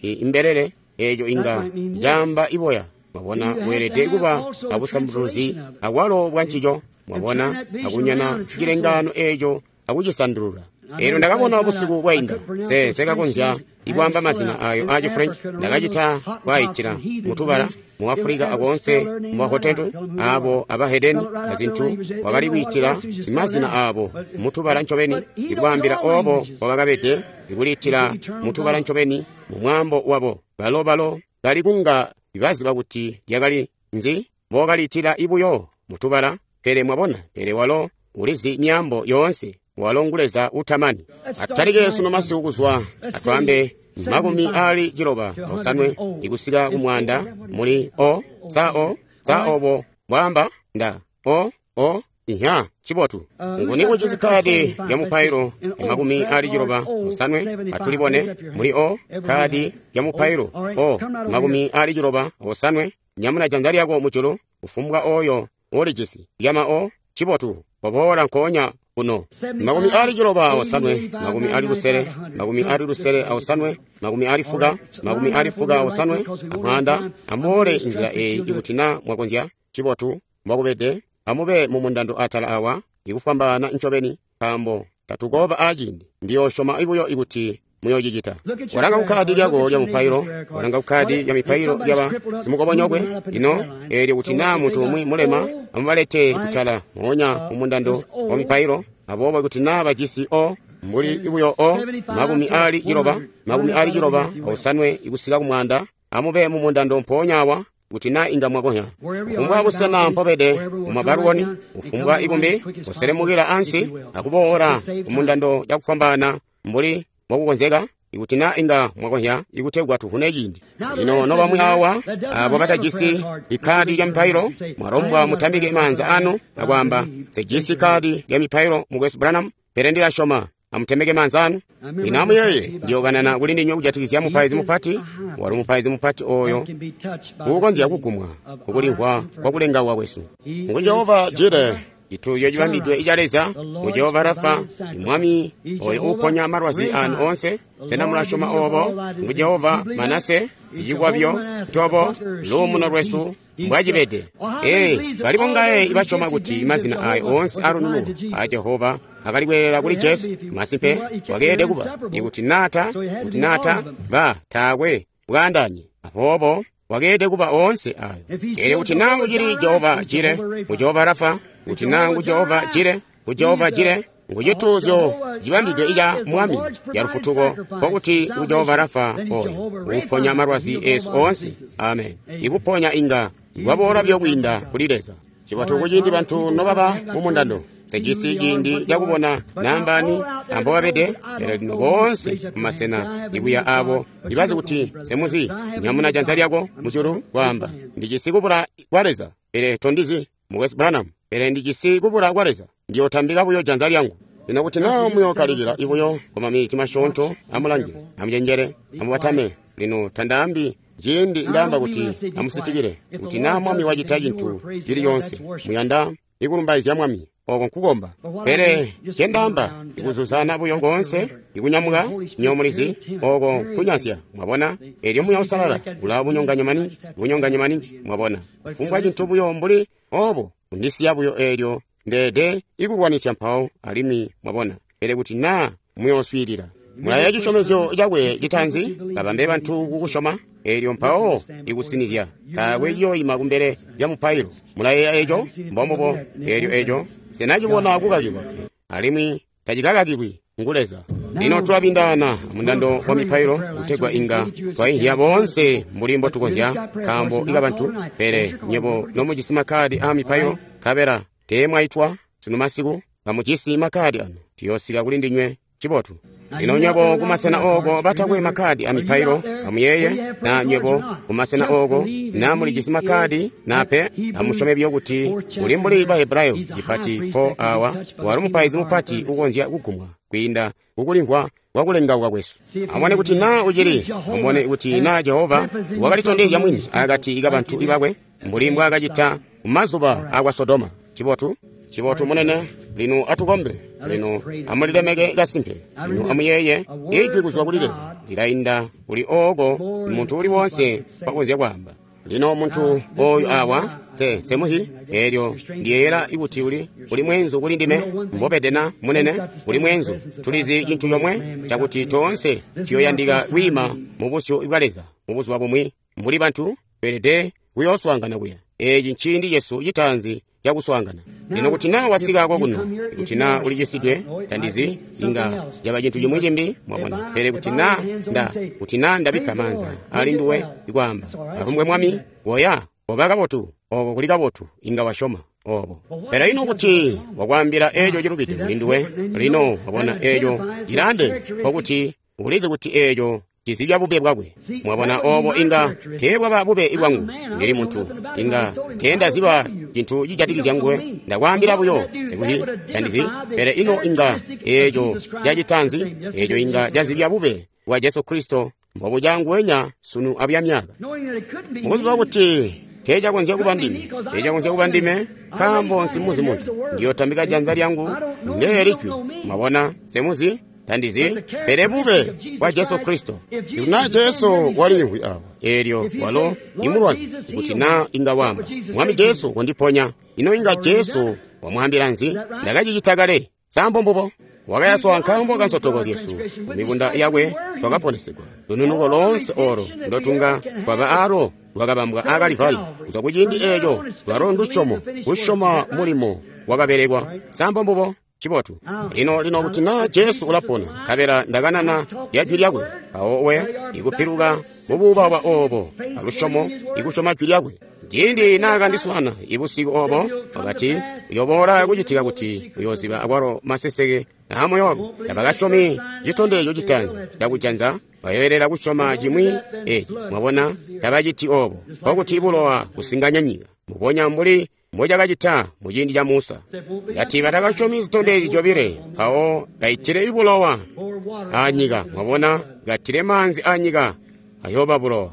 imbelele eeco inga caamba iboya. Mwabona weelede kuba abusanduluzi akwalo bwa ncico. Mwabona akunyana cilengano eeco akucisandulula. Eelyo ndakabona busiku bwainda sekakonzya ikwaamba mazina ayo aaci French. Ndakacita kwaayitila mutubala mu Africa akoonse mu Bahotento abo abahedeni azintu wakali kwiitila mazina abo mutubala ncobeni, ikwaambila obo mbobakabede, ikuliitila mutubala ncobeni mu mwaambo wabo. Balo bali kunga baziba kuti lyakali nzi mbokaliitila ibuyo mutubala. Pele mwabona, pele walo ulizi myaambo yoonse, walo ngu Leza utamani. Atutalike sunu masiku kuzwa atwaambe 95 ikusika ku 100 muli o sa o sa obo bwaamba nda o o inya chibotu. Nguni ujisi kadi ya mupailo ya 95? Atulibone muli o kadi ya mupailo o 95. Nyamuna janza lyako mujulu kufumbwa oyo ulijisi yama o chibotu poboola nkoonya kuno. 95, 600, 605, 40, 45 amwanda. Amuole nzila eyi ikuti na mwakonzya. Chibotu mbwakubede. Amube mumundando atala awa ikufwambaana ncobeni, nkaambo tatukoba aciindi. Ndiyosyoma ibuyo ikuti muyocicita. Walanga kukkadi lyako lya mupailo, walanga kukkadi lya mipailo lyaba simukobonyokwe. Lino eelyo kuti naa muntu umwi mulema, amubalete kutala moonya mumundando wa mipailo. Aboobo kuti naa bajisi o mbuli ibuyo o 95, 95 ikusika ku 100, amube mumundando mpoonya awa kuti naa inga mwakonya. Kufumbwa busena mpobede mumabaluwoni, kufumbwa ikumbi, kuselemukila ansi akuboola kumundando cakufwambaana mbuli mbokukonzeka, ikuti naa inga mwakonya, ikutegwa tuvune ciindi. Lino nobamwi awa abo batajisi ikadi lya mipailo, mwalombwa mutambike maanza anu akwaamba, sejisi kadi lya mipailo mukwesu Branham, pele ndilasyoma. Amutemeke maanza anu. Lino amuyeeye, ndiyokanana kuli ndinywe kujatikizya mupaizi mupati. Wali mupaizi mupati oyo uukonzya kugumwa kukulimvwa kwakulengawa kwesu. Ngu Jehova Jire, cituuzyo cibambidwe ica Leza. Ngu Jehova Rafa, imwami oyo uuponya malwazi anu oonse. Sena mulasyoma obo? Ngu Jehova Manase, icikwabyo, ntobo, luumuno lwesu mbwacibede. Bali bongaye ibasyoma kuti mazina ayo oonse alununu a Jehova akali kweelela kuli Jesu. Masimpe wakeelede kuba, ikuti naata ba taakwe bwaandanye. Aboobo wakeelede kuba oonse ayo. Eelyo kuti naa ngucili Jehova Jire, ngu Jehova Rafa, kuti naa ngu Jehova Jire, ngu Jehova Jire, ngu cituuzyo cibambidwe ica Mwami ca lufutuko, nkokuti ngu Jehova Rafa oyo uuponya malwazi esu oonse. Amen. Ikuponya inga kwaboola buyo kwiinda kuli Leza. Cibotu kuciindi bantu nobaba mumundando. Sejisi ciindi cakubona nambani ambobabede, pele lino boonse kumasena ikuya abo ibazi kuti semuzi. Nyamuna janza lyako mujulu kwaamba, ndijisi kubula kwa Leza, pele tondizi mukwesu Branham, pele ndijisi kubula kwa Leza, ndiyotambika buyo janza lyangu. Lino kuti naa muyookalikila ibuyo kwa maminiti masyoonto, amulange, amucenjele, amubatame. Lino tandaambi ciindi ndaamba kuti amusitikile, kuti naa Mwami wacita cintu cili yoonse, muyanda ikulumbaizya Mwami, oko nkukomba. Pele ncendaamba ikuzuzana buyo koonse, ikunyamuka nyomulizi, oko nkunyansya, mwabona. Eelyo Muuya Uusalala ula bunyonganya maningi, mwabona. Kufumbwa cintu buyo mbuli obo kundisiya buyo eelyo ndeede ikulwanisya mpawo alimwi, mwabona. Pele kuti naa muyooswiilila, mulaya cisyomezyo cakwe citaanzi, babambe bantu kukusyoma, eelyo mpawo ikusinizya taakwe ciyoyima kumbele lya mupailo. Mulayeeya eco? Mbombubo. Eelyo eco senacibona kukakilwa, alimwi tacikakakilwi ngu Leza. Lino tulabindaana mundando wa mipailo kutegwa inga twainhiya boonse mbuli mbotukonzya, nkaambo ikabantu. Pele nyebo nomujisi makadi aa mipailo, nkabela teemwaitwa sunu masiku, kamujisi makadi anu, tuyoosika kuli ndinywe. Cibotu. Lino nywebo kumasena ooko batakwe makadi a mipailo, amuyeeye, na nywebo kumasena ooko na mulijisi makadi nape, amusyome buyo kuti uli mbuli Bahebrayo cipati 4 awa, wali mupaizi mupati ukonzya kugumwa kwiinda kukulimvwa kwakulengauka kwesu. Amubone kuti naa ucili, amubone kuti naa Jehova wakalitondezya mwini akati kabantu bakwe mbuli mbwaakacita kumazuba akwa Sodoma. Cibotu. Cibotu munene. Lino atukombe. Lino amulilemeke kasimpe. Lino amuyeeye ijwi kuzwa kuli Leza lilainda kuli ooko muntu uli wonse mpakonzya kwaamba. Lino muntu oyu awa, semuhi, elyo ndiyeeyela kuti uli mweenzu kuli ndime, mbobede na, munene, uli mweenzu. Tulizi cintu comwe, cakuti toonse tuyoyandika kwiima mu busyu bwa Leza mu buzuba bumwi. Mbuli bantu, tweelede kuyooswaangana kuya. Eeci nciindi cesu citaanzi cakuswaangana. Lino kuti naa wasika kokuno, kuti naa ulicisidwe, tandizi, inga caba cintu cimwi cimbi, mwabona. Pele kuti naa kuti naa ndabikka maanza ali nduwe ikwaamba, alumbwe Mwami, woya, oba kabotu, obo kuli kabotu, inga wasyoma obo. Pele ino kuti wakwaambila eeco cilubide kuli nduwe, lino wabona eeco cilaandeene, nkokuti ulizi kuti eeco cizibya bube bwakwe. Mwabona, obo inga teebwaba bube bwangu. Ndili muntu, inga teendaziba cintu cijatikizya nguwe. Ndakwaambila buyo sikuti tandizi. Pele ino inga eeco cacitanzi, eeco inga cazibya bube bwa Jesu Kristo mbobuca nguwenya sunu abuya myaka. Mukuziba kuti teecakonzya kuba ndime, teecakonzya kuba ndime, nkaambo nsimuzi muntu. Ndiyotambika janza lyangu ndeeli jwi. Mwabona, semuzi, tandizi, pele bube bwa Jesu Kristo. Ikuti naa Jesu waliimvwi awa, eelyo walo imulwazi, ikuti naa inga wamba, Mwami Jesu kondiponya, ino inga Jesu wamwaambila nzi? Ndakacicita kale. Sambo mbubo. Wakayaswa nkaambo ka nsotoko zyesu, mibunda yakwe twakaponesegwa. Lununuko loonse olo ndotunga twaba alo lwakabambwa a Kalivali. Kuzwa kuciindi eeco lwalo ndusyomo, kusyoma mulimo wakabelekwa. Sambo mbubo. Cibotu. Lino kuti naa Jesu ulapona, nkabela ndakanana lya jwi lyakwe, mpawo we ikupiluka mubuubauba obo alusyomo ikusyoma jwi lyakwe. Ciindi naakandiswaana ibusiku obo, wakati uyoboola kucitika kuti uyooziba akwalo maseseke aamoyo wako. Tabakasyomi citondezyo citaanzi cakujanza, bayoyelela kusyoma cimwi eeci. Mwabona, tabaciti obo, nkokuti bulowa kusinganya nyika, mbubonya mbuli mbocakacita muciindi ca Musa. Kati batakasyomi zitondezyo zyobile, mpawo kaitile bulowa anyika. Mwabona, katile maanzi anyika, ayooba bulowa.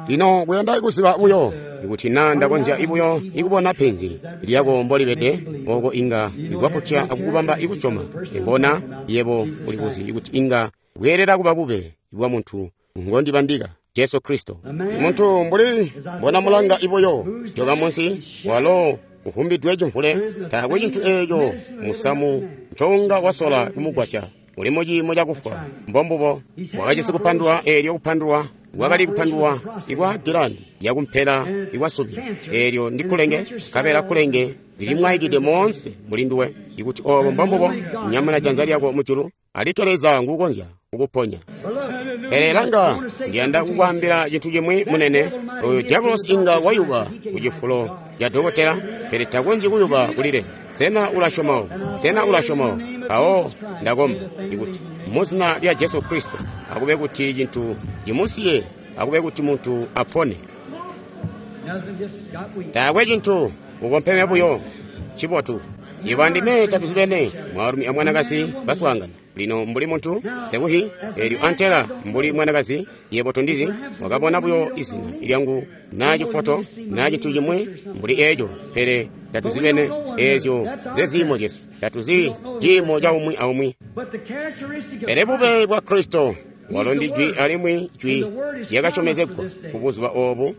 Lino kuyanda kuziba buyo, ikuti naa ndakonzya buyo ikubona penzi lyako mbolibede, oko inga ikwaputya akukubamba ikusyoma. Imbona yebo ulikuzi ikuti inga bweelela kuba bube bwa muntu ngondibandika, Jesu Kristo. Muntu mbuli mbona mulanga ibuyo joka munsi, walo uhumbidwe cimvule, taakwe cintu eeco musamu ncounga wasola kumugwasya. Uli muciimo cakufwa. Mbombubo. Wakajisi kupandulwa, eelyo kupandulwa wakali kupandulwa ikwa gilandi yakumpela ikwasubi, eelyo ndi kulenge, nkabela kulenge lilimwaikide moonse muli nduwe. Ikuti obo mbombubo, nyamuna janza lyako mujulu, alikke Leza nguukonzya kukuponya. Pele langa, ndiyanda kukwaambila cintu cimwi munene. Oyo diabolosi inga wayuba ku cifulo ca dokotela, pele takonzyi kuyuba kuli Leza. Sena ulasyoma obo? Sena ulasyoma obo? Mpawo ndakomba ikuti muzina lya Jesu Kristo akube kuti cintu cimusiye, akube kuti muntu apone. Taakwe cintu, ukompeme buyo. Cibotu. Ibo andime tatuzibene, mwaalumi amwanakazi baswaangana. Lino mbuli muntu sekuhi, eelyo antela mbuli mwanakazi, yebo tondizi, wakabona buyo izina lyangu naa cifoto naa cintu cimwi mbuli eeco, pele tatuzibene. Eezyo zeziimo zyesu, tatuzi ciimo ca umwi aumwi. Pele bube bwa Kristo walo ndi jwi, alimwi jwi lyakasyomezegwa ku buzuba obu,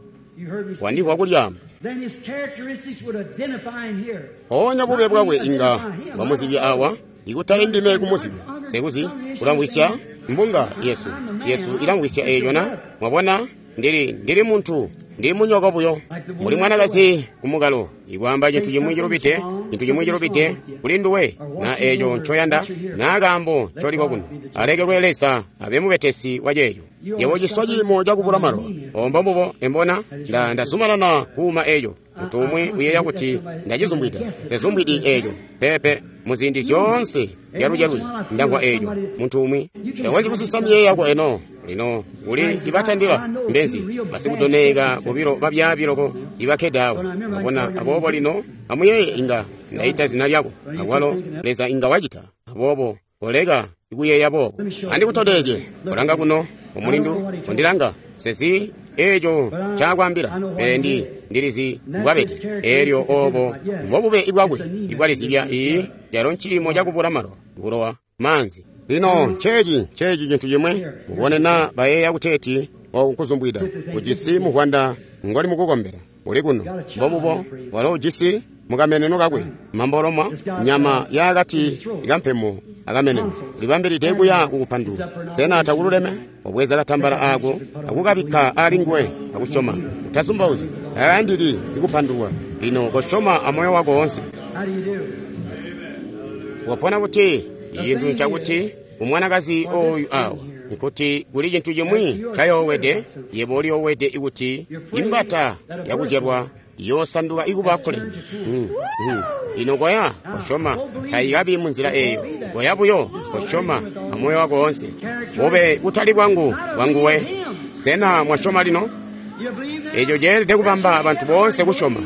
wandihwa kulyaamba. Mpoonya bube bwakwe inga bwamuzibya awa, ikutali ndime kumuzibya. Sekuzi ulamvwisya mbunga yesu ilamvwisya eeco na? Mwabona, ndili muntu, ndili munyoko buyo, mbuli mwanakazi kumukalo, ikwaamba cintu cimwi cilubide, cintu cimwi cilubide kuli nduwe, na eeco ncoyanda, na kaambo ncoliko kuno. Alekelwe Leza abe mubetesi wa ceeco. Yebo ciswa ciimo cakubula malowa. Ombo mbubo, embona, ndazumanana kuuma eeco. Muntu umwi uyeeya kuti ndacizumbwida. Tezumbwidi eeco. Peepe, muziindi zyoonse zyalujalwi ndamvwa eeco. Muntu umwi takonzyi kusisa miyeeyo yako eno. Lino uli ibatandila mbenzi basikudoneeka bobilo babyaabi loko ibakkede awo. Mwabona, aboobo lino amuyeeye, inga ndaita zina lyako, akwalo Leza inga wacita. Aboobo koleka ikuyeeya boobo. Andikutondezye, kolanga kuno, omulindu, kondilanga. Sezi eeco ncaakwaambila, pele ndilizi mbwabede. Eelyo obo mbobube ibwakwe ibwalizibya. Ii calo nciimo cakubula malowa, bulowa, maanzi. Lino nceeci cintu cimwe, mubone naa bayeeya kuteeti oku nkuzumbwida. Ujisi muvwanda ngoli mukukombela. Uli kuno. Mbobubo, walo ujisi mukameneno kakwe, mambolomwa, nyama yaakati kampemo akameneno. Libambilide kuya kukupandula. Sena takululeme? Wabweza katambala ako akukabikka ali nguwe akusyoma. Utasumbauzyi, tayandiki ikupandulwa. Lino kosyoma amoyo wako wonse. Wapona kuti cintu ncakuti umwanakazi oyu awa nkuti kuli cintu cimwi ncayoowede, yebo uliyoowede kuti imbata yakuzyalwa iyoosanduka ikuba kkulenge. Lino koya kosyoma, taikabi munzila eeyo. Koya buyo kosyoma amoyo wako wonse. Bube kutali bwangu bwanguwe. Sena mwasyoma lino? Eco ceelede kubamba bantu boonse kusyoma.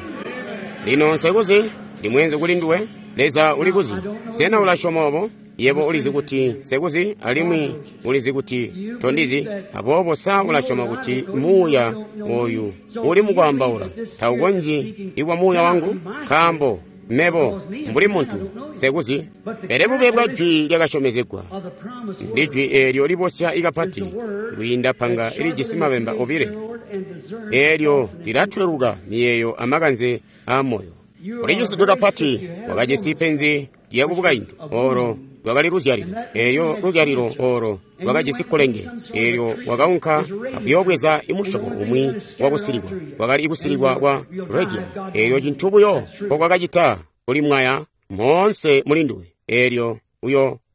Lino nsekuzi, ndimwenzi kuli nduwe. Leza ulikuzi. Sena ulasyoma obo? Yebo ulizi kuti nsekuzi, alimwi ulizi kuti tondizi. Aboobo sa ulasyoma kuti muuya oyu uli mukwaambaula taukonzyi ikwa muuya wangu? Nkaambo mebo mbuli muntu nsekuzi. Pele bube bwa jwi lyakasyomezegwa ndi jwi eelyo libosya ikapati kwiinda panga ilijisi mabemba obile, eelyo lilatweluka miyeeyo amakanze aamoyo. Ulicisidwe kapati, wakajisi penzi lyakubukaintu olo lwakali luzyalilo. Eelyo luzyalilo olo lwakajisi kkulenge. Eelyo wakaunka akuyoobweza imusyobo umwi wakusilikwa, wakali ikusilikwa kwa radium. Eelyo cintu buyo mbokwakacita kulimwaya moonse mulinduwe. Eelyo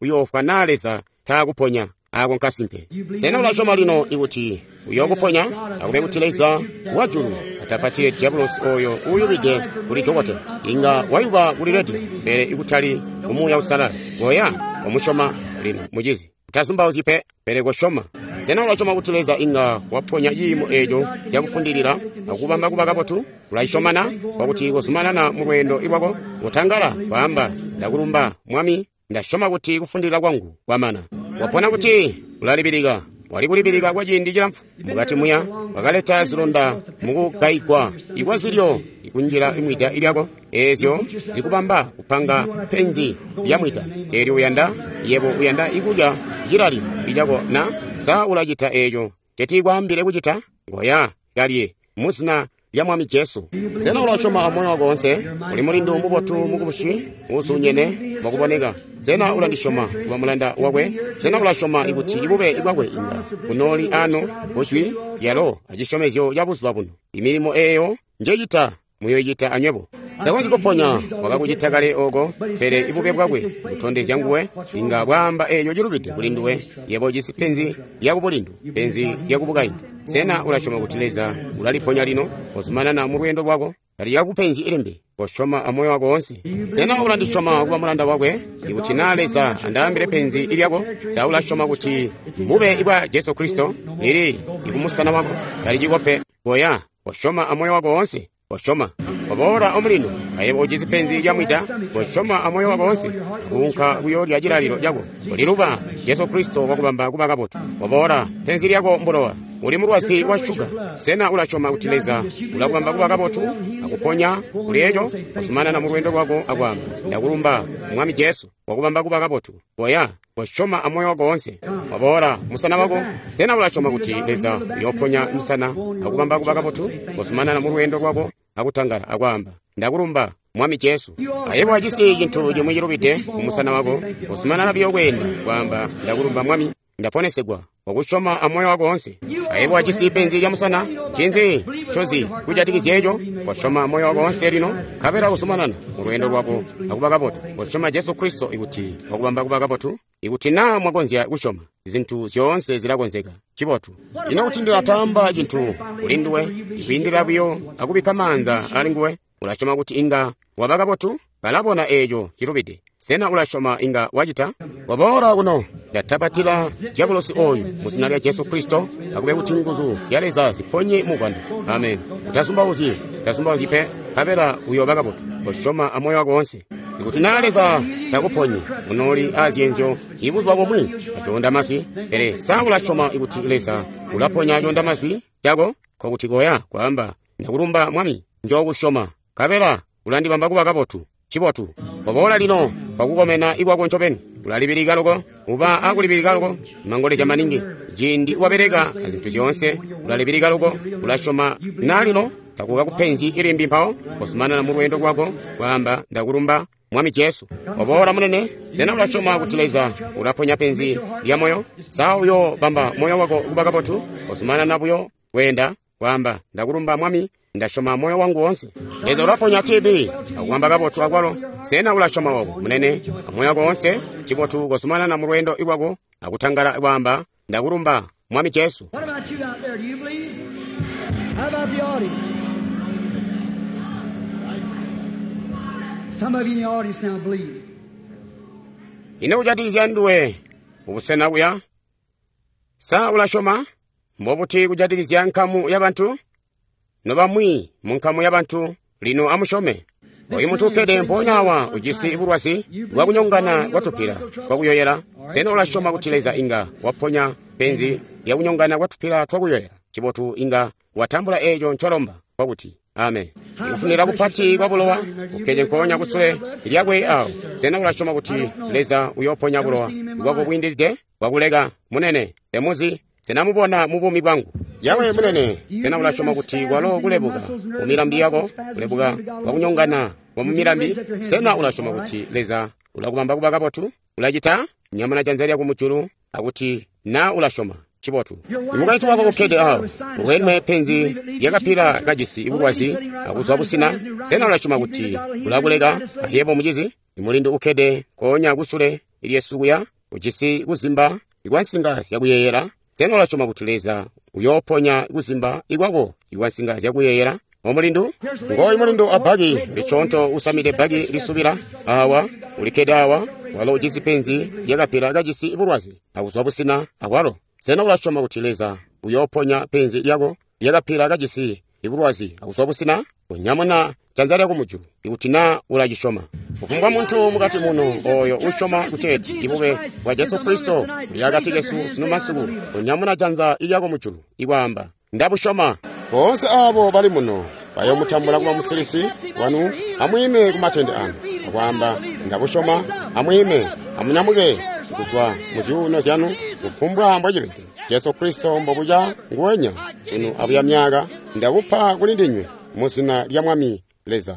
uyoofwa naa Leza taakuponya. Ako nkasimpe. Sena ulasyoma lino ikuti uyookuponya? Akube kuti Leza wajulu atapatile diabulosi oyo uuyubide kuli dokotela. Inga wayuba kuli rediyo, pele ikutali kumuuya usalala. Koya wamusyoma lino, mucizi. Utazumbauzyi pe, pele kosyoma. Sena ulasyoma kuti Leza inga waponya ciimo eeco cakufundilila akubamba kuba kabotu? Ulaisyoma na? Kwakuti kozumanana mu lweendo lwako, kotangala kwaamba, ndakulumba Mwami, ndasyoma kuti kufundilila kwangu kwamana. Wapona kuti ulalibilika. Wali kulibilika kwa ciindi cilamfu. Mukati muya wakaleta zilonda mukugayigwa ikwa zilyo ikunjila imwida lyako, eezyo zikubamba kupanga penzi lya mwida. Eelyo uyanda, yebo uyanda ikulya cilalilo icako na? Sa ulacita eeco ncetiikwaambile kucita? Ngoya kalye muzina lya Mwami Jesu. Sena ulasyoma amoyo wako wonse? Uli mulindu mubotu mukubusi, uuzuunyene mwakuboneka. Sena ulandisyoma kuba mulanda wakwe? Sena ulasyoma ikuti ibube bwakwe inga bunooli ano kujwi lyalo acisyomezyo ca buzuba buno? Imilimo eeyo njecita muyoicita anywebo. Sakonzyi kuponya wakakucita kale oko, pele ibube bwakwe butondezya nguwe inga bwaamba eeco cilubide kuli nduwe. Yebo ujisi penzi lyakubulindu, penzi lyakubukaintu. Sena ulasyoma kuti Leza ulaliponya lino? Kozumanana mu lweendo lwako, talikakupenzi ilimbi. Kosyoma amoyo wako wonse. Sena ulandisyoma kuba mulanda wakwe? Ikuti naa Leza andaambile penzi lyako, sa ulasyoma kuti mbube bwa Jesu Kristo lili ikumusana wako? Taliciko pe. Koya, kosyoma amoyo wako wonse. Kosyoma. Koboola omulino, ayebo ujisi penzi lyamwida. Kosyoma amoyo wako wonse. Kuunka kuyoolya cilalilo cako. Koliluba, Jesu Kristo wakubamba kuba kabotu. Koboola, penzi lyako mbulowa. Uli mulwazi wa shuga. Sena ulasyoma kuti Leza ulakubamba kuba kabotu akuponya kuli eco? Kozumanana mu lweendo lwako akwaamba, ndakulumba Mwami Jesu, wakubamba kuba kabotu. Koya, kosyoma amoyo wako wonse. Waboola musana wako. Sena ulasyoma kuti Leza uyooponya musana akubamba kuba kabotu? Kozumanana mu lweendo lwako akutangala akwaamba, ndakulumba Mwami Jesu. Ayebo wajisi cintu cimwi cilubide kumusana wako. Kozumanana buyo kweenda kwaamba, ndakulumba Mwami, ndaponesegwa. Wakusyoma amoyo wako wonse. Ayebo wajisi penzi lya musana. Ncinzi ncozi kujatikizya eco? Kosyoma amoyo wako wonse lino, nkabela kuzumanana mu lweendo lwako akuba kabotu. Kosyoma Jesu Kristo ikuti wakubamba kuba kabotu. Ikuti naa mwakonzya kusyoma, zintu zyoonse zilakonzeka. Cibotu. Ino kuti ndilatamba cintu kuli nduwe, ikwiindila buyo akubikka maanza ali nguwe, ulasyoma kuti inga waba kabotu? Balabona eeco cilubide. Sena ulasyoma inga wacita? Waboola kuno, ndatapatila dyabulosi oyu muzina lya Jesu Kristo, akube kuti nguzu zya Leza ziponye mubwando. Amen. Utazumbauzyi, utazumbauzyi pe, nkabela uyooba kabotu. Kosyoma amoyo wako wonse. Ikuti naa Leza takuponyi, unooli azyenzyo ibuzuba bumwi acoonda mazwi. Pele sa ulasyoma ikuti Leza ulaponya acoonda mazwi cako? Nkokuti koya kwaamba, ndakulumba Mwami, njookusyoma, nkabela ulandibamba kuba kabotu. Cibotu. Koboola lino kwakukomena ikwako ncobeni. Ulalibilika loko. Uba akulibilika loko, mangolezya maningi. Ciindi wabeleka azintu zyoonse, ulalibilika loko, ulasyoma na lino takuka kupenzi ilimbi mpawo, kozumanana mu lweendo lwako, kwaamba ndakulumba Mwami Jesu. Oboola munene, sena ulasyoma kuti Leza ulaponya penzi lya moyo? Sa uyo bamba moyo wako kuba kabotu? Kozumanana buyo kweenda, kwaamba ndakulumba Mwami, ndasyoma moyo wangu woonse. Leza ulaponya TB, akubamba kabotu akwalo. Sena ulasyoma obo, munene, amoyo wako woonse? Cibotu kozumanana mu lweendo lwako, akutangala kwaamba ndakulumba Mwami Jesu. What about you out there? Do you believe? How about the audience? Some of you in the audience now believe. Ino kujatikizya nduwe ubusena buya? Sa ulasyoma? Mbobuti kujatikizya nkamu y'abantu? Nobamwi mu nkamu y'abantu lino amusyome. Oyu muntu ukkede mpoonya awa ujisi bulwazi bwakunyongana kwatupila kwakuyoyela. Sena ulasyoma kuti Leza inga waponya penzi lyakunyongana kwatupila twakuyoyela? Cibotu inga watambula eeco ncolomba kwakuti amen. Ikufunira kupati kwa bulowa ukkede nkoonya kusule lyakwe awo. Sena ulasyoma kuti Leza uyooponya bulowa bwako bwiindilide bwakuleka munene temuzi? Sena mubona mu buumi bwangu? Yawe munene, sena ulasyoma kuti kwalo kulebuka mu milambi yako, kulebuka kwakunyongana kwa mu milambi? Sena ulasyoma kuti Leza ulakubamba kuba kabotu? Ulacita? Nyamuna janza lyako mujulu akuti na ulasyoma. Cibotu. Mukaintu wako ukkede awo, ulweme penzi lyakapila kajisi bulwazi akuzwa busina. Sena ulasyoma kuti ulakuleka ayebo mucizi? Mulindu ukkede nkoonya kusule lyesu kuya, ujisi kuzimba ikwansinga zyakuyeeyela. Sena ulasyoma kuti Leza uyooponya kuzimba ikwako ikwansinga zyakuyeeyela? Omulindu, ngooyu mulindu abbaki licoonto usamide bbaki lisubila awa, ulikkede awa, walo ujisi penzi lyakapila kajisi bulwazi akuzwa busina akwalo. Sena ulasyoma kuti Leza uyooponya penzi lyako lyakapila kajisi bulwazi akuzwa busina? Unyamuna janza lyako mujulu ikuti na ulacisyoma. Kufumbwa muntu mukati muno oyo usyoma kuteeti ibube bwa Jesu Kristo buli akati kesu sunu masiku, unyamuna janza lyako mujulu ikwaamba ndabusyoma. Boonse aabo bali muno bayoomutambula kuba musilisi wanu, amwiime ku matende anu akwaamba ndabusyoma. Amwiime, amunyamuke kuzwa mu zyuuno zyanu kufumbwa mbocibede. Jesu Kristo mbobuca nguwenya sunu abuya myaaka, ndabupa kuli ndinywe mu zina lya Mwami Leza.